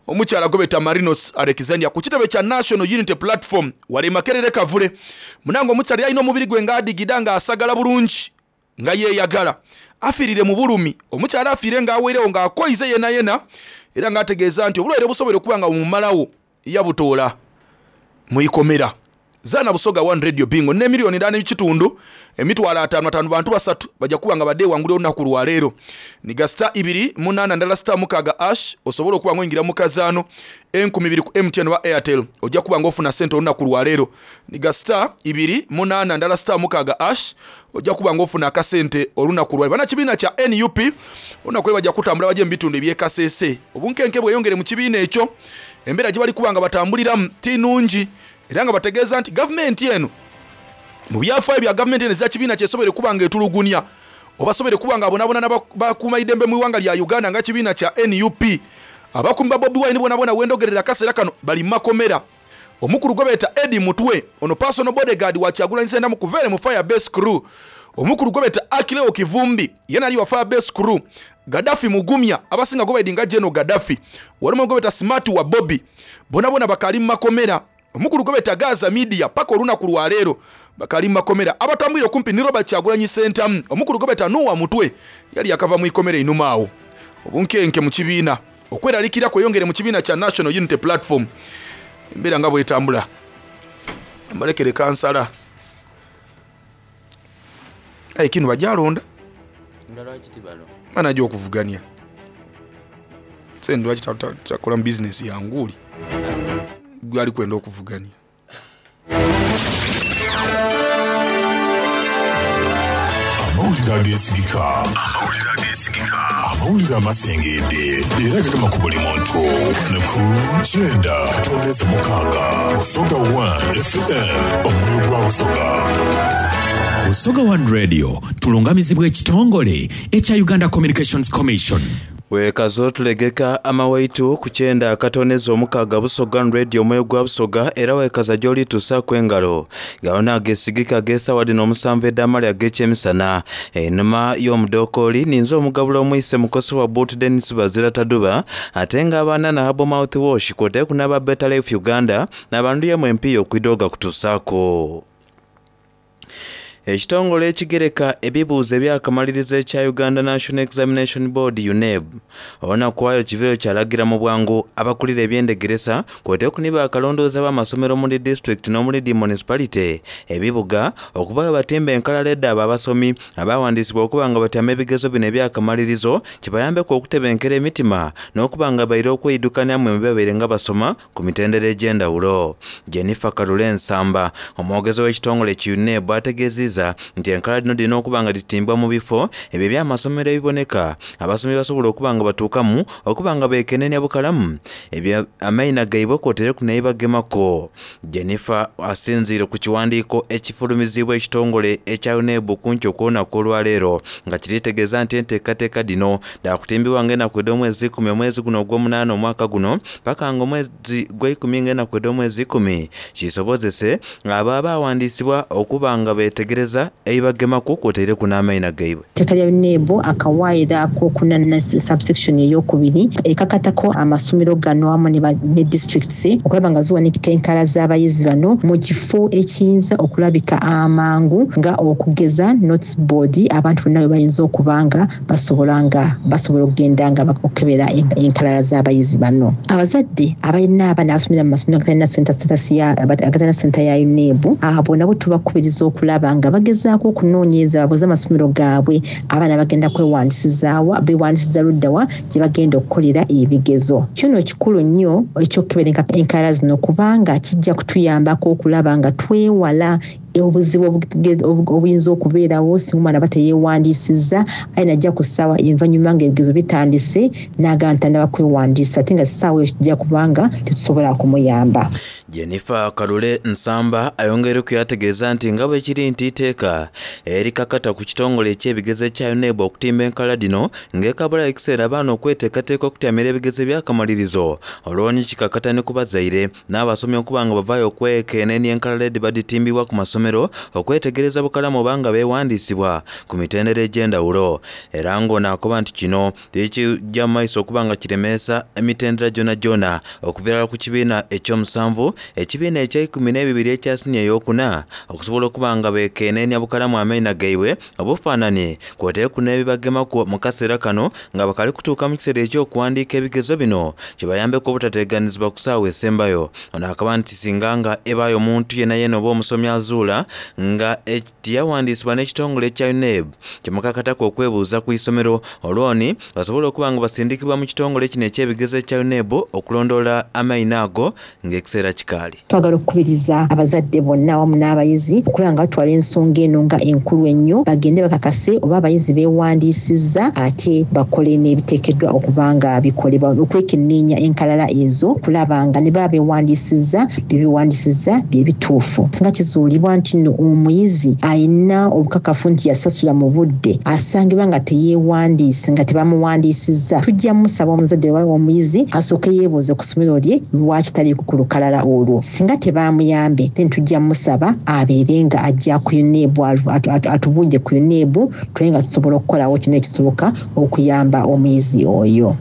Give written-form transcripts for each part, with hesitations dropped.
Omukyala gwebeta Marinos Alexandria ku kitebe kya National Unity Platform wale e Makerere Kavule. Munange omukyala yalina omubiri gwe nga adigida nga asagala bulungi nga yeyagala. Afiirire mu bulumi. Omukyala afiire nga aweirewo nga akoize yena yena era nga ategeeza nti obulwaire obusobola okuba nga bumumalawo yabutoola mu ikomera. Zaana Busoga One Radio Bingo ne miliyoni ndala n'ekitundu 500,000 ataano bantu basatu bajja kuba nga badde ewangulira olunaku lwaleero. Niga star ibiri munaana ndala star mukaaga ash osobola okuba nga oyingira mu kazaano 2000 ku MTN oba Airtel ojja kuba nga ofuna ssente olunaku lwaleero. Niga star ibiri munaana ndala star mukaaga ash ojja kuba nga ofuna akasente olunaku lwaleero. Bannakibiina kya NUP olunaku lwe bajja kutambula bajje mu bitundu eby'e Kasese. Obunkenke bweyongere mu kibiina ekyo, embeera gye bali kuba nga batambuliramu ti nnungi era nga bategeeza nti gavumenti eno mu byafaayo bya gavumenti eno eza kibiina kyesobere kuba nga etulugunya obasobere kuba nga abonabona n'abakuumaidembe mu iwanga lya Uganda nga kibiina kya NUP. Abakuumi ba Bobi Wine bonabona wendogerera akaseera kano bali mu makomera. Omukulu gwe beeta Eddie Mutwe ono personal bodyguard wa Kyagulanyi Ssentamu kuva ere mu Fire Base Crew. Omukulu gwe beeta Akileo Kivumbi yena ali wa Fire Base Crew. Gaddafi Mugumya abasinga gwe baidi nga General Gaddafi. Walimu gwe beeta Smart wa Bobby. Bonabona bakali mu makomera. Omukulu gwe beeta Gaza Media paka olunaku lwa leero bakali mu makomera. Abatambwire okumpi ni Robert Kyagulanyi Ssentamu. Omukulu gwe beeta Noah Mutwe yali akava mu ikomera einuma awo. Obunkenke mu kibiina okweraliikirira kweyongere mu kibiina kya National Unity Platform. Embeera nga bwetambula mbalekere kansala aye kino bajalonda mana gyokuvuganya sente lwaki takola mu bizinesi yanguuli gwali kwenda okuvuganya. Amawulire ageesigika, amawulire ageesigika, amawulire amasengedde era gagema ku buli muntu wano ku 96 Busoga 1 FM omwoyo gwa Busoga. Busoga One Radio tulungamizibwa ekitongole ekya Uganda Communications Commission. Weekaza otulegeka amawaitu ku kyenda akatooneza omukaaga Busoga Radio omwoyo gwa Busoga era weekaza gy'olituusaaku engalo. Gano n'ageesigika ag'esaawa dhino omusanvu edh'amale ag'ekyemisana. Einhuma y'omudookooli ninze omugabula omwise mukosi wa Boot Denis Bazira Taduba ate nga abaana na Herbal Mouth Wash kwotaire n'aba Better Life Uganda n'abanduyemu empiiya okwidha ogakutuusaaku. Ekitongole ekigereka ebibuuzo ebyakamalirizo ekya Uganda National Examination Board UNEB olunaku lwaleero kiviireyo kyalagira mu bwangu abakulira ebyendegeresa kwotaire ni bakalondoozi ab'amasomero mu dhi disitulikiti n'omuli dhi municipality ebibuga okuvayo batimbe enkalala edhaabo abasomi abawandiisibwa okuba nga batyama ebigezo bino ebyakamalirizo kibayambeku okutebenkera emitima n'okuba nga baira okweidukaniamu ebibabaire nga basoma ku mitendera egy'endhawulo. Jennifer Kalule Nsamba, omwogezi w'ekitongole ki UNEB ategeziiza nti enkalala dhino dhirina okuba nga dhitimbwa mu bifo ebyo eby'amasomero ebiboneka abasomi basobola okuba nga batuukamu okuba nga beekenenia bukalamu ebyo amaina gaibwe kwotereku n'ebibagemaku. Jennifer asinziire ku kiwandiiko ekifulumiziibwa ekitongole ekya UNEB ku nkyo kw'olunaku olwaleero nga kiri tegeeza nti enteekateeka dhino dhaakutimbibwa nga enaku edh'omwezi ikumi omwezi guno ogw'omunaana omwaka guno paka nga omwezi gweikumi nga enaku edh'omwezi ikumi kisobozese abo abaawandiisibwa okuba nga beetegereza ebibagemaku kwotaireku n'amaina gaibwe. Etteeka lya UNEB akawaayiro akokuna ne subsection eyokubiri ekakatako amasomero gano awamu ne districts okulaba nga ziwanika enkala z'abayizi bano mu kifo ekiyinza okulabika amangu nga okugeza notice board abantu bonna webayinza okuba nga basobola nga basobola okugenda nga okukebera enkalala z'abayizi bano. Abazadde abalina abaana abasomera mu masomero agatalina center status ya agatalina center ya UNEB abo nabo tubakubiriza okulaba nga bagezaako okunoonyereza babuuze amasomero gaabwe abaana bagenda kwewandisizaawa bewandisiza luddawa gye bagenda okukolera ebigezo. Kino kikulu nnyo eky'okukebera enkalala zino kubanga kijja kutuyambako okulaba nga twewala obuzibu obuyinza okubeerawo singa omwana aba teyeewandiisizza aye najja ku ssaawa envannyuma ng'ebigezo bitandise n'agamba nti tannaba kwewandiisa ate nga ssaawa eyo kijja kubanga tetusobola kumuyamba. Jennifer Kalule Nsamba ayongeireku yaategeeza nti nga bwekiri nti iteeka erikakata ku kitongole eky'ebigezo ekya UNEB okutimba enkalala dhino ng'ekabulayo ekiseera abaana okweteekateeka okutyamira ebigezo ebyakamalirizo olwo ni kikakata ni ku bazaire n'abasomi okuba nga bavaayo okwekenenia enkalala edhiba dhitimbibwa ku masomero. amasomero okwetegereza bukalamu oba nga beewandiisibwa ku mitendera egy'endawulo era ng'ono akoba nti kino tikijja mu maiso okuba nga kiremeesa emitendera gyonagyona okuviira ku kibiina ekyomusanvu ekibiina ekyeikumi n'ebibiri ekya siniya eyokuna okusobola okuba nga beekeneenya bukalamu amaina gaibwe obufaanani kwoteeku n'ebibagemaku mu kaseera kano nga bakali kutuuka mu kiseera ekyokuwandiika ebigezo bino kibayambeko obutateganizibwa ku ssaawa esembayo. Ono akaba nti singa nga ebaayo omuntu yena yena oba omusomi azuula nga tiyawandiisibwa n'ekitongole ekya UNEB kimukakatako okwebuuza ku isomero olwoni basobola okuba nga basindikibwa mu kitongole kino ekyebigezo ekya UNEB okulondoola amaina ago ng'ekiseera kikaali. Twagala okukubiriza abazadde bonna awamu n'abayizi okulaba nga batwala ensonga eno nga enkulu ennyo, bagende bakakase oba abayizi beewandiisizza ate bakole n'ebiteekeddwa okuba nga bikolebwa okwekenneenya enkalala ezo okulaba nga ne baba beewandiisizza bye beewandiisizza bye bituufu. Singa kizuulibwa nti nno omuyizi alina obukakafu nti yasasula mu budde asangibwa nga teyeewandiise nga tebamuwandiisizza, tujja musaba omuzadde oba omuyizi asooke yeebuuze ku ssomero lye lwaki taliiko ku lukalala olwo. Singa tebaamuyambe, then tujja musaba abeere nga ajja ku UNEB atubuulire ku UNEB tulabe nga tusobola okukolawo kino ekisoboka okuyamba omuyizi oyo.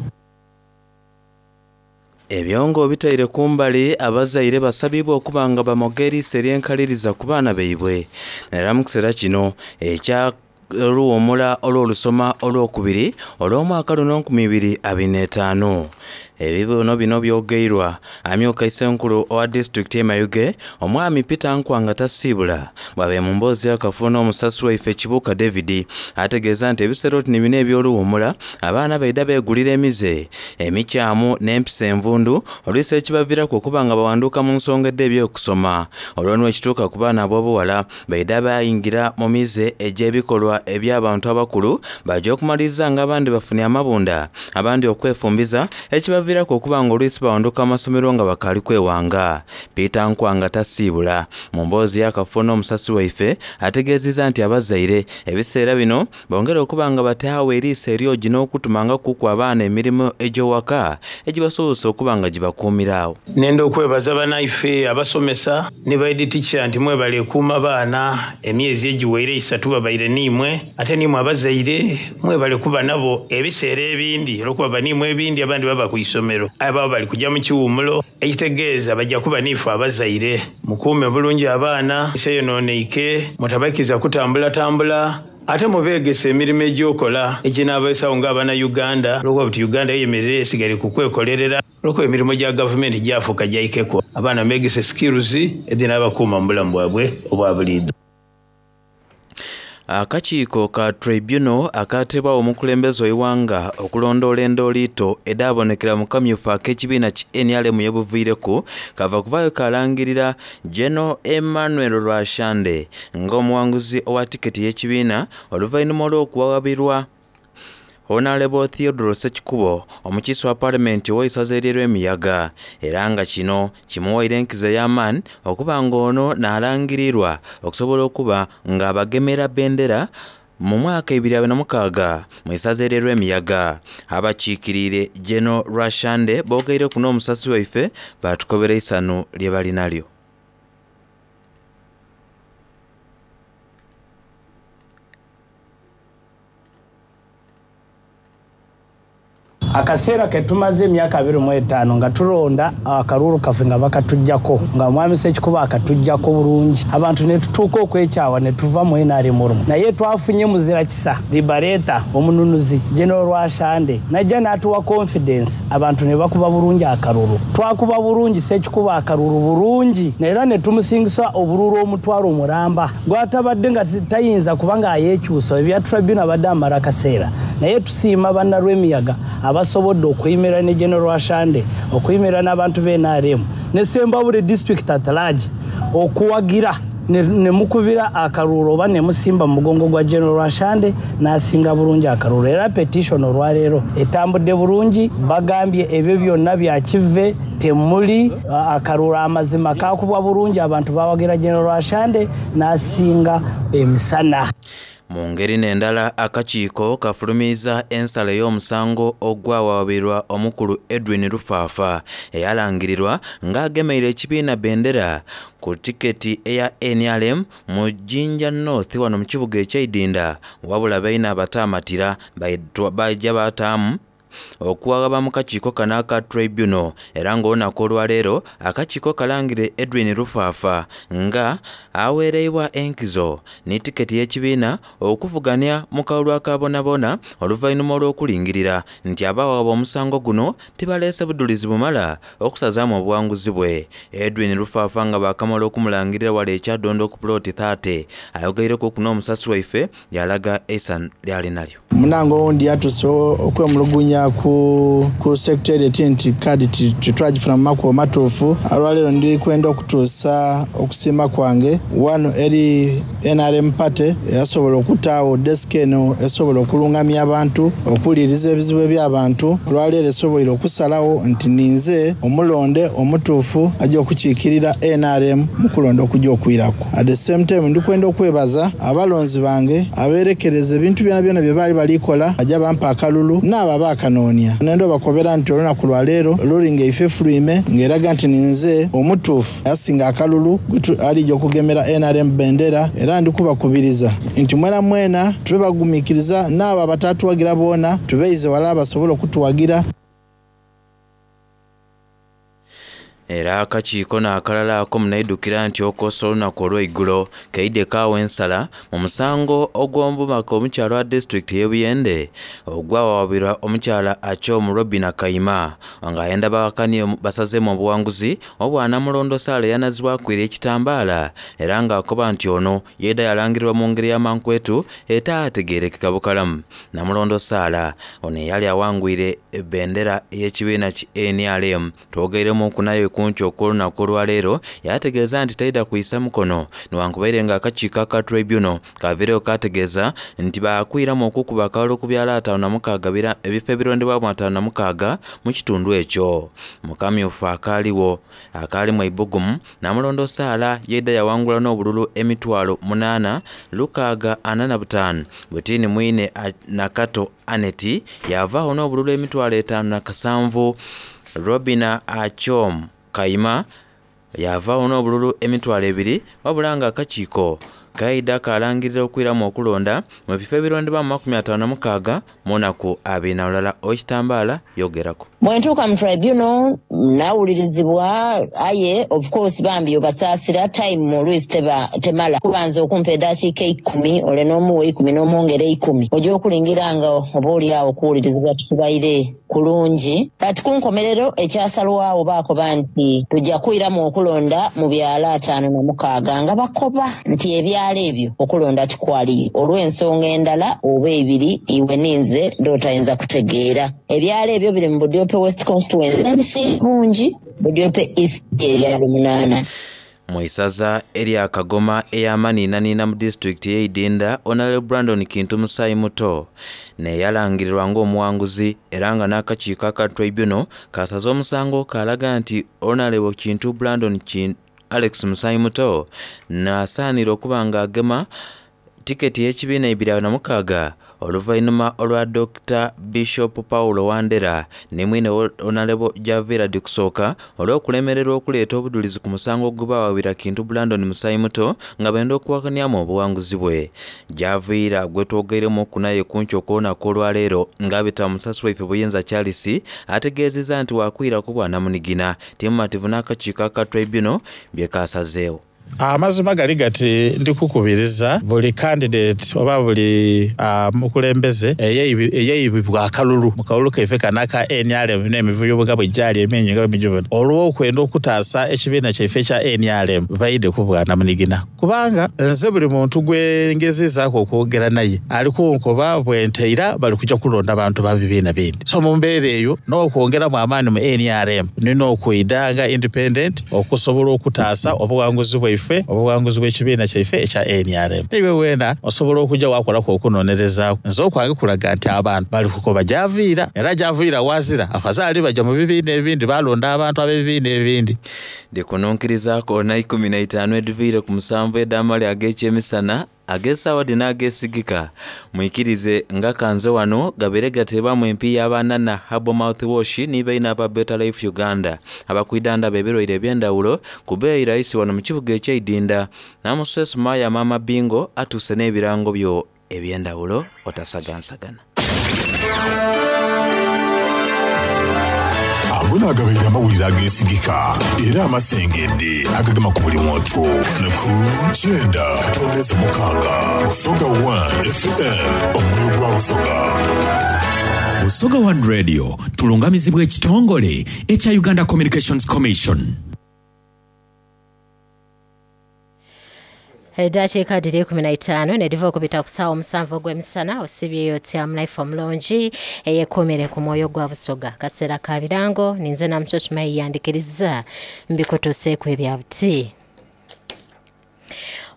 Ebyongo bitaire kumbali abazaire basabibwa okuba nga bamoga eriiso eryenkaliriza ku baana baibwe era mu kiseera kino ekya oluwummula olw'olusoma olwokubiri olw'omwaka luno 2025. Ebibuno bino byogeirwa amyuka isenkulu owa disitulikiti e Mayuge omwami Peter Nkwanga Tasiibula bw'abe mu mboozi akafuuna omusasi waife Kibuuka David ategeeza nti ebiseera oti ni bino eby'oluwummula abaana baida beegulira emize emikyamu n'empisa envundu oluisi ekibaviiraku okuba nga bawanduka mu nsonga edda ebyokusoma olwo nwo ekituuka ku baana ab'obuwala baida bayingira mu mize egy'ebikolwa eby'abantu abakulu bajja okumaliriza nga abandi bafunye amabunda abandi okwefumbiza ekibaviiraku okuba nga oluisi bawanduka amasomero nga bakaali kwewanga. Peter Nkwanga Tasiibula mu mboozi y'akafuuna omusasi waife ategeezezza nti abazaire ebiseera bino bongere okuba nga bataawo eriiso eryogi n'okutumanga kuku abaana emirimu egy'owaka egibasobozesa okuba nga gibakuumiraawo. Nenda okwebaza banaife abasomesa ne baidi teacher nti mwebale ekuuma baana emyezi egiweire 3 babaire niimwe ate niimwe abazaire mwebale kuba nabo ebiseera ebindi olwokuba baniimwe ebindi abandi baba ku isomero aye baba bali kujja mu kiwumulo ekitegeeza bajja kuba niife abazaire mukuume bulungi abaana seyononeike mutabakiza kutambulatambula ate mubeegesa emirimu egyokola eginaabeesawo ng'abana Uganda olwokuba buti Uganda eyemerera esigaire ku kwekolerera olwokuba emirimu gya gavumenti gyafuuka gyaikeko abaana beegese skills edinaabakuuma mu bulamu bwabwe obwa buliido. Akakiiko ka tribunal akateebwawo omukulembeze w'eighanga okulondoola endooliito edhaabonekera mu kamyufu ak'ekibiina ki NRM yebuviireku kava kuvaayo kalangirira General Emmanuel Rwashande ng'omuwanguzi owa tiketi y'ekibiina oluvannyuma olw'okuwawabirwa Honorable Theodore Ssekikubo omukiise wa paalamenti ow'eisaza ery'Emiyaga era nga kino kimuwaire enkizo ey'amaani okuba nga ono n'alangirirwa okusobola okuba ng'abagemera bendera mu mwaka 2026 mu isaza ery'Emiyaga. Abakiikiriire General Rwashande boogeireku n'omusasi waife baatukobera eisanu lye bali nalyo. Akaseera ke tumaze emyaka 25 nga tulonda akaluulu kaffe nga bakatuggyako nga mwami Ssekikubo akatuggyako bulungi abantu ne tutuuka okwekyawa ne tuva mu NRM olumu naye twafunye muzira kisa liberator omununuzi General Rwashande najja n'atuwa confidence abantu ne bakuba bulungi akalulu twakuba bulungi Ssekikubo akalulu bulungi era ne tumusingisa obululu omutwalo omulamba gwatabadde nga tayinza kuba nga ayeekyusa ebya tribunal abadde amala akaseera naye tusiima bannalwemiyaga abasobodde okuyimirira ne General Rwashande okuyimirira n'abantu b'e NRM ne Sembabule district at large okuwagira ne mukubira akaluulu oba ne musimba mu mugongo gwa General Rwashande n'asinga bulungi akaluulu era petition olwaleero etambudde bulungi bagambye ebyo byonna bya kive temuli akaluulu amazima kakubwa bulungi abantu bawagira General Rwashande n'asinga emisana. Mu ngeri n'endala, akakiiko kafulumiiza ensala ey'omusango ogwawawabirwa omukulu Edwin Rufaafa eyalangirirwa ng'agemeire ekibiina bendera ku tiketi eya NRM mu Jinja North wano mu kibuga eky'Eidinda, wabula baine abataamatira baija bataamu okuwagaba mu kakiiko kano aka tribunal, era ng'olunaku olwaleero akakiiko kalangire Edwin Rufaafa nga aweereibwa enkizo ni tiketi y'ekibiina okuvuganya mu kalulu akabonabona oluvannyuma olw'okulingirira nti abawaba omusango guno tibaleese budulizi bumala okusazaamu obuwanguzi bwe. Edwin Rufaafa nga baakamala okumulangirira wala ekyadondo ku puloti 30 ayogeireku n'omusasi waife yalaga eisanhu lyali nalyo. Munange owundi yatuse okwemulugunya ku secretariat nti kaadi titwagifuna mu makubo matuufu. Olwaleero ndi kwenda okutuusa okusiima kwange wano eri NRM party eyasobola okutaawo desk eno esobola okulungamya abantu, okuwuliriza ebizibu eby'abantu. Olwaleero esoboire okusalawo nti ninze omulonde omutuufu ajja okukiikirira NRM mu kulonda okujja okwiraku. At the same time ndikwenda okwebaza abalonzi bange abeerekereza ebintu byona byona bye baali balikola ajja bampa akalulu n'abo abaakanoonia. Nenda obakobera nti olunaku lwa leero lulinga eife efulwime ng'eraga nti ninze omutuufu asinga akalulu alijja okugemera NRM bendera, era ndikubakubiriza nti mwena mwena tube bagumiikiriza n'abo abatatuwagira boona tubeize wala basobole okutuwagira. Era akakiiko n'akalala ako munaidukira nti okosa olunaku olw'eigulo keide kaawa ensala mu musango ogw'omubaka omukyala wa disitulikiti y'e Buyende ogwawawabirwa omukyala Achom Robina Kaima ng'ayenda bawakanie basazeemu obuwanguzi obwanamulondo Sala eyanazibwaku eri ekitambaala, era ng'akoba nti ono yeeda yalangirirwa mu ngeri y'amankwetu etaategeerekeka bukalamu. Namulondo Sala ono eyali awangwire ebendera ey'ekibiina ki NRM twogeiremu naye kunki okw'olunaku olwaleero yategeeza nti taida kwisa mukono newankubaire nga akakiiko aka tribunal kaviireyo kategeeza nti baakwiramu okukuba akalulu ku byalo 56 ebifo ebirondebwamu 56 mu kitundu ekyo. Mukamyufu akaaliwo akaalimu eibugumu Namulondo Sala yeida yawangula n'obululu 8,645 bwetini mwine Nakato Aneti yavaawo n'obululu 5,007. Robina Achom Kaima yavaawo n'obululu 2,000, wabula nga akakiiko kaida kalangirira okwiramu okulonda mu bifo ebirondebwamu 56 mu nnaku 24. Owekitambaala yogerako. Bwentuuka mu tribunal nawulirizibwa, aye of course bambi obasaasira time oluisi temala kubanza okumpa eddakiika 10 ole n'omuwa 10 n'omwongera 10 ojja okulingira nga oba oli awo okuwulirizibwa tukubaire kulungi. Kati ku nkomerero ekyasalwawo baakoba nti tujja kwiramu okulonda mu byalo 56 nga bakoba nti ebyalo ebyo okulonda tikwaliyo olw'ensonga endala oba ebiri iwe ninze ndotayinza kutegeera. Ebyalo ebyo biri mu Budiope West constituency n'ebisinga bungi Budiope East ebyalo 8. Mu isaza erya Kagoma ey'amaniinaniina mu disitulikiti y'Eidinda, Honorable Brandon Kintu Musaayi Muto neyalangirirwa ng'omuwanguzi, era nga n'akakiiko aka tribunal kasaze omusango kalaga nti Honorable Kintu Brandon Alex Musaayi Muto n'asaanira okuba ng'agema tiketi y'ekibiina 2026 oluvannyuma olwa Dr. Bishop Paulo Wandera ne mwine Honorable Javira Dikusooka olw'okulemererwa okuleeta obudulizi ku musango ogubawawira Kintu Brandon Musaayi Muto nga benda okuwakanyamu obuwanguzi bwe. Javira gwe twogeiremu okunaye kunki okw'olunaku olwaleero ng'abita musasi waife Buyinza Charles ategeezezza nti wakwirako bwanamunigina timumativu n'akakiiko aka tribunal bye kasazeewo. Amazima gali gati ndikukubiriza buli candidate oba buli mukulembeze eyeyibibwa akalulu mu kalulu kaife kano aka NRM n'emivuyo bwe bwejjali emingi nga bwemijubona olw'okwenda okutaasa ekibiina kyaife ekya NRM baide ku bwanamunigina, kubanga nze buli muntu gwe ngezezaako okwogera naye ali kunkoba bwenteira bali kujja kulonda abantu ba bibiina bindi. So mu mbeera eyo n'okwongeramu amaanyi mu NRM nina okwida nga independent okusobola okutaasa obuwanguzi bwaife, obuwanguzi bw'ekibiina kyaife ekya NRM. Niwe weena osobola okujja wakolako okunonerezaako. Nze okwange kulaga nti abantu bali kukoba gyaviira, era gyaviira wazira afazaali bajja mu bibiina ebindi balonda abantu ab'ebibiina ebindi. Ndikununkirizaako na 15 ediviire ku musanvu ed'amali ag'ekyemisana. Ag'essaawa dhino ageesigika mwikirize nga kanze wano gabeere gateebwamu empiiya abanana Herbal Mouthwash ni baine aba Better Life Uganda abakwidhandhaba ebirwaire eby'endhawulo ku bbeeyi raisi wano mu kibuga eky'eidinda. Namuswesu Maya Maama Bingo atuuse n'ebirango byo eby'endhawulo otasagansagana. Ago naagabaire amawulire ageesigika era amasengedde agagema ku buli muntu wano ku kyenda katondeze mukaaga Busoga One FM omwoyo gwa Busoga. Busoga One Radio tulungamizibwa ekitongole ekya Uganda Communications Commission. Eddakiika dhiri 15 nedhiva okubita ku saawa omusanvu ogw'emisana osibyeyo otya munaife omulungi eyekuumire ku mwoyo gwa Busoga. Kaseera ka birango ninze Namukyukyuma yandikiriza mbikutuuseeku ebya buti.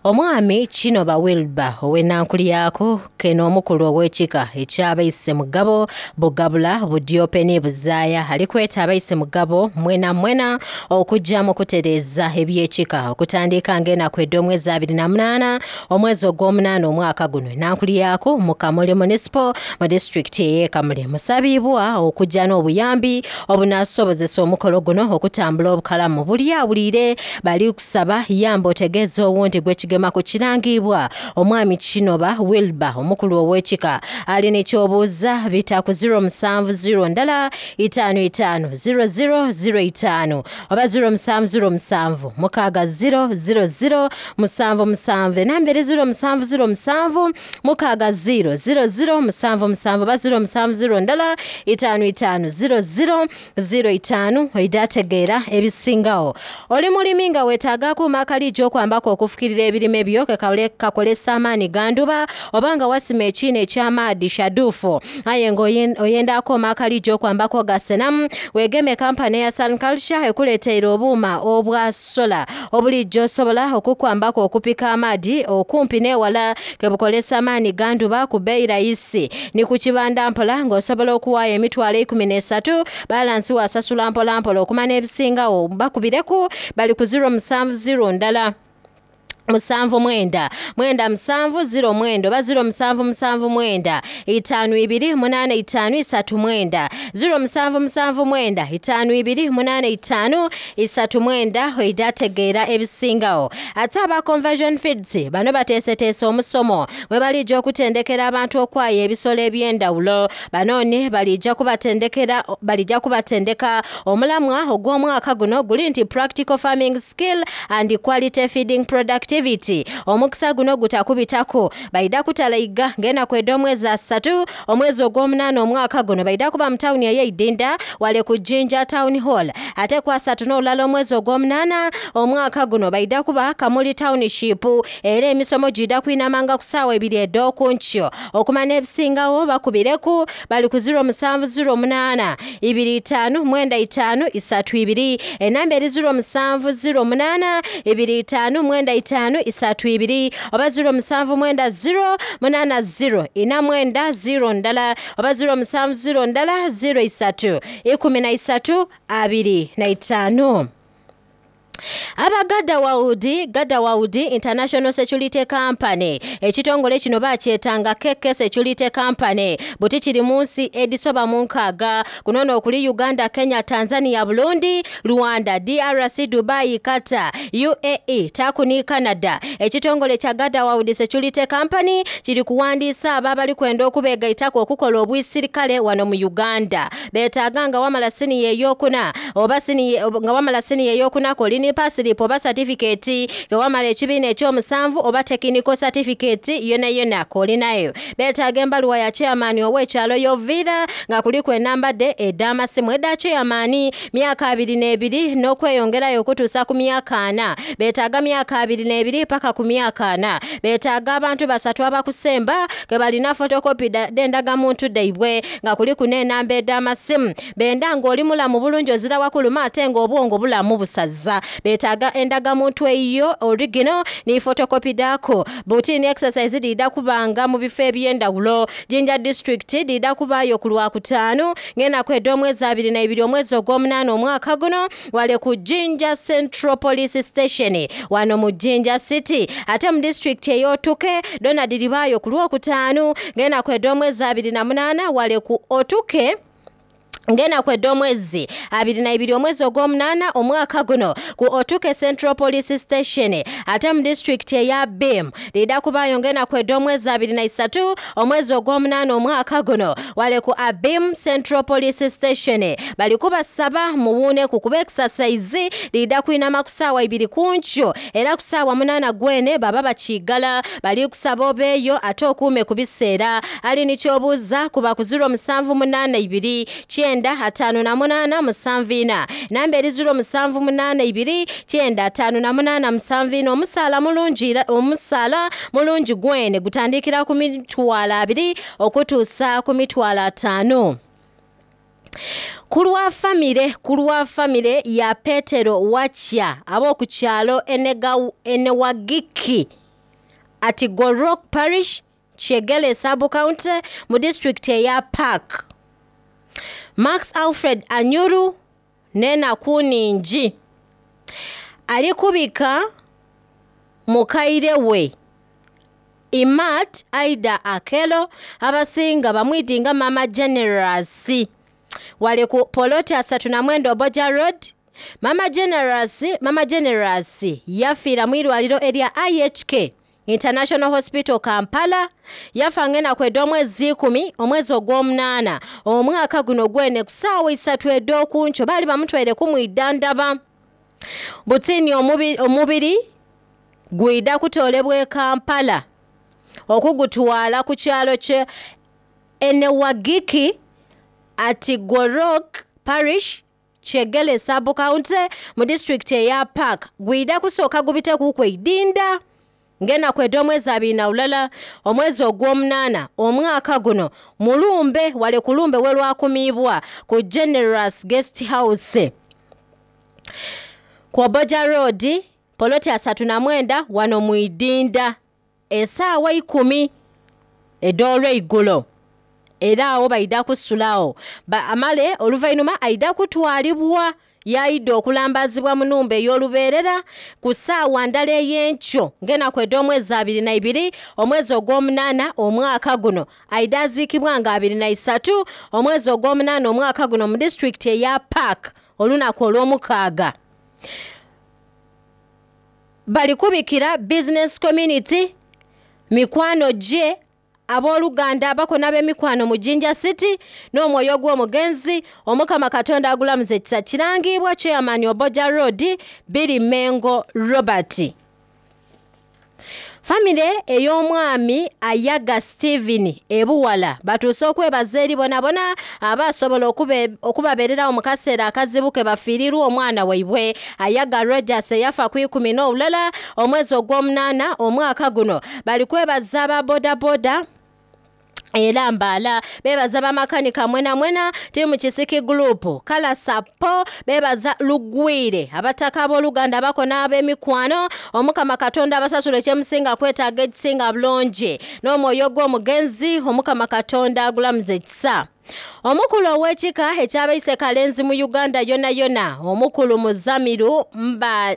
Omwami Kinoba Wilber ow'enankulyaku keno omukulu ow'ekika eky'abaise Mugabo Bugabula Budyope Buzaaya ali kweta abaise Mugabo mwena mwena okujja mu kutereeza eby'ekika okutandika ng'enaku edh'omwezi 28 omwezi ogw'omunaana omwaka guno enankulyaku mu Kamuli Municipal mu disitulikiti ey'e Kamuli musabibwa okujja n'obuyambi obunasobozesa omukolo guno okutambula obukalamu. Buli awulire bali kusaba yamba otegeeza owundi gwekigema ku kirangibwa omwami Kinoba Wilber omukulu ow'ekika ali nekyobuuza bita ku 070 ndala 55 0005 oba 0707 6 000 77 enamba eri 0707 6 000 77 oba 070 ndala 55 0005 oidategeera ebisingawo. Oli mulimi nga weetaaga akuuma akaliija okwambako okufukirira ebirime byo kakolesa amaani ganduba oba nga wasima ekiina eky'amaadi shadufu aye nga oyenda akuuma akaliija okwambako gasenamu weegeme kampani eya Sun Culture ekuleeteire obuuma obwa sola obulijjo osobola okukwambako okupika amaadi okumpi n'ewala kebukolesa amaani ganduba ku bbeeyi rayisi ni ku kibanda mpola ng'osobola okuwaayo emitwalo 13 balansi wasasula mpola mpola okumanya ebisingawo bakubireku bali ku 070 ndala 79 97 09 oba 0779 52 85 39 0779 52 85 39 oidategeera ebisingawo. Ate aba Conversion Feeds bano bateeseteese omusomo mwe balijja okutendekera abantu okwaya ebisolo eby'endawulo. Banoni balijja kubatendeka omulamwa ogw'omwaka guno guli nti practical farming skill and quality feeding productivity. Omukisa guno gutakubitako baida kutalaiga ng'enaku ed'omwezi 3 omwezi ogw'omunaana omwaka guno baida kuba mu tawuni ey'eidinda wale ku Jinja Town Hall. Ate ku 3 n'olulala omwezi ogw'omunaana omwaka guno baida kuba Kamuli Township era emisomo gida kwinamanga ku ssaawa 2 ed'okunkyo. Okumanya ebisingawo bakubireku bali ku 0708 25 95 32 enamba eri 0708 25 95 32 oba 0790 80 490 ndala oba 070 ndala 03 13 25. Aba Gada Waudi International Security Company ekitongole kino bakyetanga KK Security Company buti kiri mu nsi edisoba mu nkaaga kunono okuli Uganda, Kenya, Tanzania, Burundi, Rwanda, DRC, Dubai, Qatar, UAE, Turkey ni Canada. Ekitongole kya Gada Waudi Security Company kiri kuwandiisa abo abali kwenda okubeegaitako okukola obwisirikale wano mu Uganda. Beetaaga nga wamala siniya ey'okuna oba nga wamala siniya ey'okuna kolini pass-slip oba certificate kewamala ekibiina ekyomusanvu oba technical certificate yona yona kolinayo. Beetaaga embaluwa ya chairman ow'ekyalo y'oviira nga kuliku enamba de ed'amasimu edda chairman myaka 22 n'okweyongerayo okutuusa ku myaka 4. Beetaaga myaka 22 paka ku myaka 4. Beetaaga abantu basatu abakusemba ke balina photocopy d'endagamuntu daibwe nga kuliku n'enamba ed'amasimu. Benda ng'oli mulamu bulungi ozira wakuluma ate ng'obwongo bulamu busaza. Beetaaga endagamuntu eyiyo original ni photocopy dhaako. Butini exercise dhidha kubanga mu bifo eby'endawulo. Jinja district dhidha kubaayo ku Lwakutaanu ng'enaku edh'omwezi 22 omwezi ogw'omunaana omwaka guno wale ku Jinja Central Police Station wano mu Jinja City. Ate mu disitulikiti ey'Otuke dhona dhiribaayo ku Lwokutaanu ng'enaku edh'omwezi 28 wale ku Otuke ng'enaku edh'omwezi 22 omwezi ogw'omunaana omwaka guno ku Otuke Central Police Station. Ate mu disitulikiti eya Bim dhidha kubaayo ng'enaku edh'omwezi 23 omwezi ogw'omunaana omwaka guno wale ku Abim Central Police Station. Bali kubasaba muwuuneku kuba exercise dhidha kwinama ku saawa 2 ku nkyo era ku saawa 8 gwene baba bakiigala. Bali kusaba obeeyo ate okuume ku biseera. Ali ni ky'obuuza kuba ku 0782 958 74. Namba eri 0782 958 74. Omusaala mulungi, omusaala mulungi gwene gutandikira ku mitwalo 20 okutuusa ku mitwalo 50. Ku lwa famire ya Petero Wakya ab'oku kyalo Enewagiki at Gorok Parish, Kyegele Sub County mu disitulikiti eya Park. Max Alfred Anyuru n'enaku nningi ali kubika mukaire we Imat Aida Akelo abasinga bamwidinga Mama Generous wali ku poloti 39 Oboja Road. Mama Generous yafiira mu irwaliro erya IHK International Hospital Kampala. Yafa ng'enaku edh'omwezi 10 omwezi ogw'omunaana omwaka guno gwene ku ssaawa 3 edh'okunkyo. Baali bamutwaire kumwidhandhaba. Butini omubiri gwidha kutoolebwa e Kampala okugutwala ku kyalo kye Enewagiki at Gorok Parish, Kyegele Sub County mu disitulikiti eya Park. Gwidha kusooka gubite kuku eidinda ng'enaku edh'omwezi 21 omwezi ogw'omunaana omwaka guno mulumbe wale kulumbe we lwakumiibwa ku Generous Guest House ku Oboja Road poloti 39 wano mu Idinda esaawa 10 edh'olweigulo. Era awo baidha kusulawo amale oluvainhuma aidha kutwalibwa yaidha okulambazibwa mu numba ey'olubeerera ku ssaawa ndala ey'enkyo ng'enaku edh'omwezi 22 omwezi ogw'omunaana omwaka guno. Aidha aziikibwa nga 23 omwezi ogw'omunaana omwaka guno mu disitulikiti eya Park olunaku olw'omukaaga. Bali kubikira business community, mikwano gye, abooluganda abakona ab'emikwano mu Jinja City n'omwoyo gw'omugenzi Omukama Katonda agulamuza ekisa. Kirangibwa Chairman Oboja Road Biri Mengo Robert. Famire ey'omwami Ayaga Steven ebuwala batuuse okwebaza eri bonabona abasobola okubabeererawo mu kaseera akazibu ke bafiirirwa omwana waibwe Ayaga Rogers eyafa ku 11 omwezi ogw'omunaana omwaka guno. Bali kwebaza aba bodaboda era mbaala, bebaza bamakanika mwena mwena, tiimu Kisiki Group kalasapo, bebaza Lugwire, abataka abooluganda bakona ab'emikwano. Omukama Katonda abasasula ekyemusinga kwetaaga ekisinga bulungi n'omwoyo gw'omugenzi Omukama Katonda agulamuza ekisa. Omukulu ow'ekika ekyabaise Kalenzi mu Uganda yona yona, omukulu Muzamiru Mba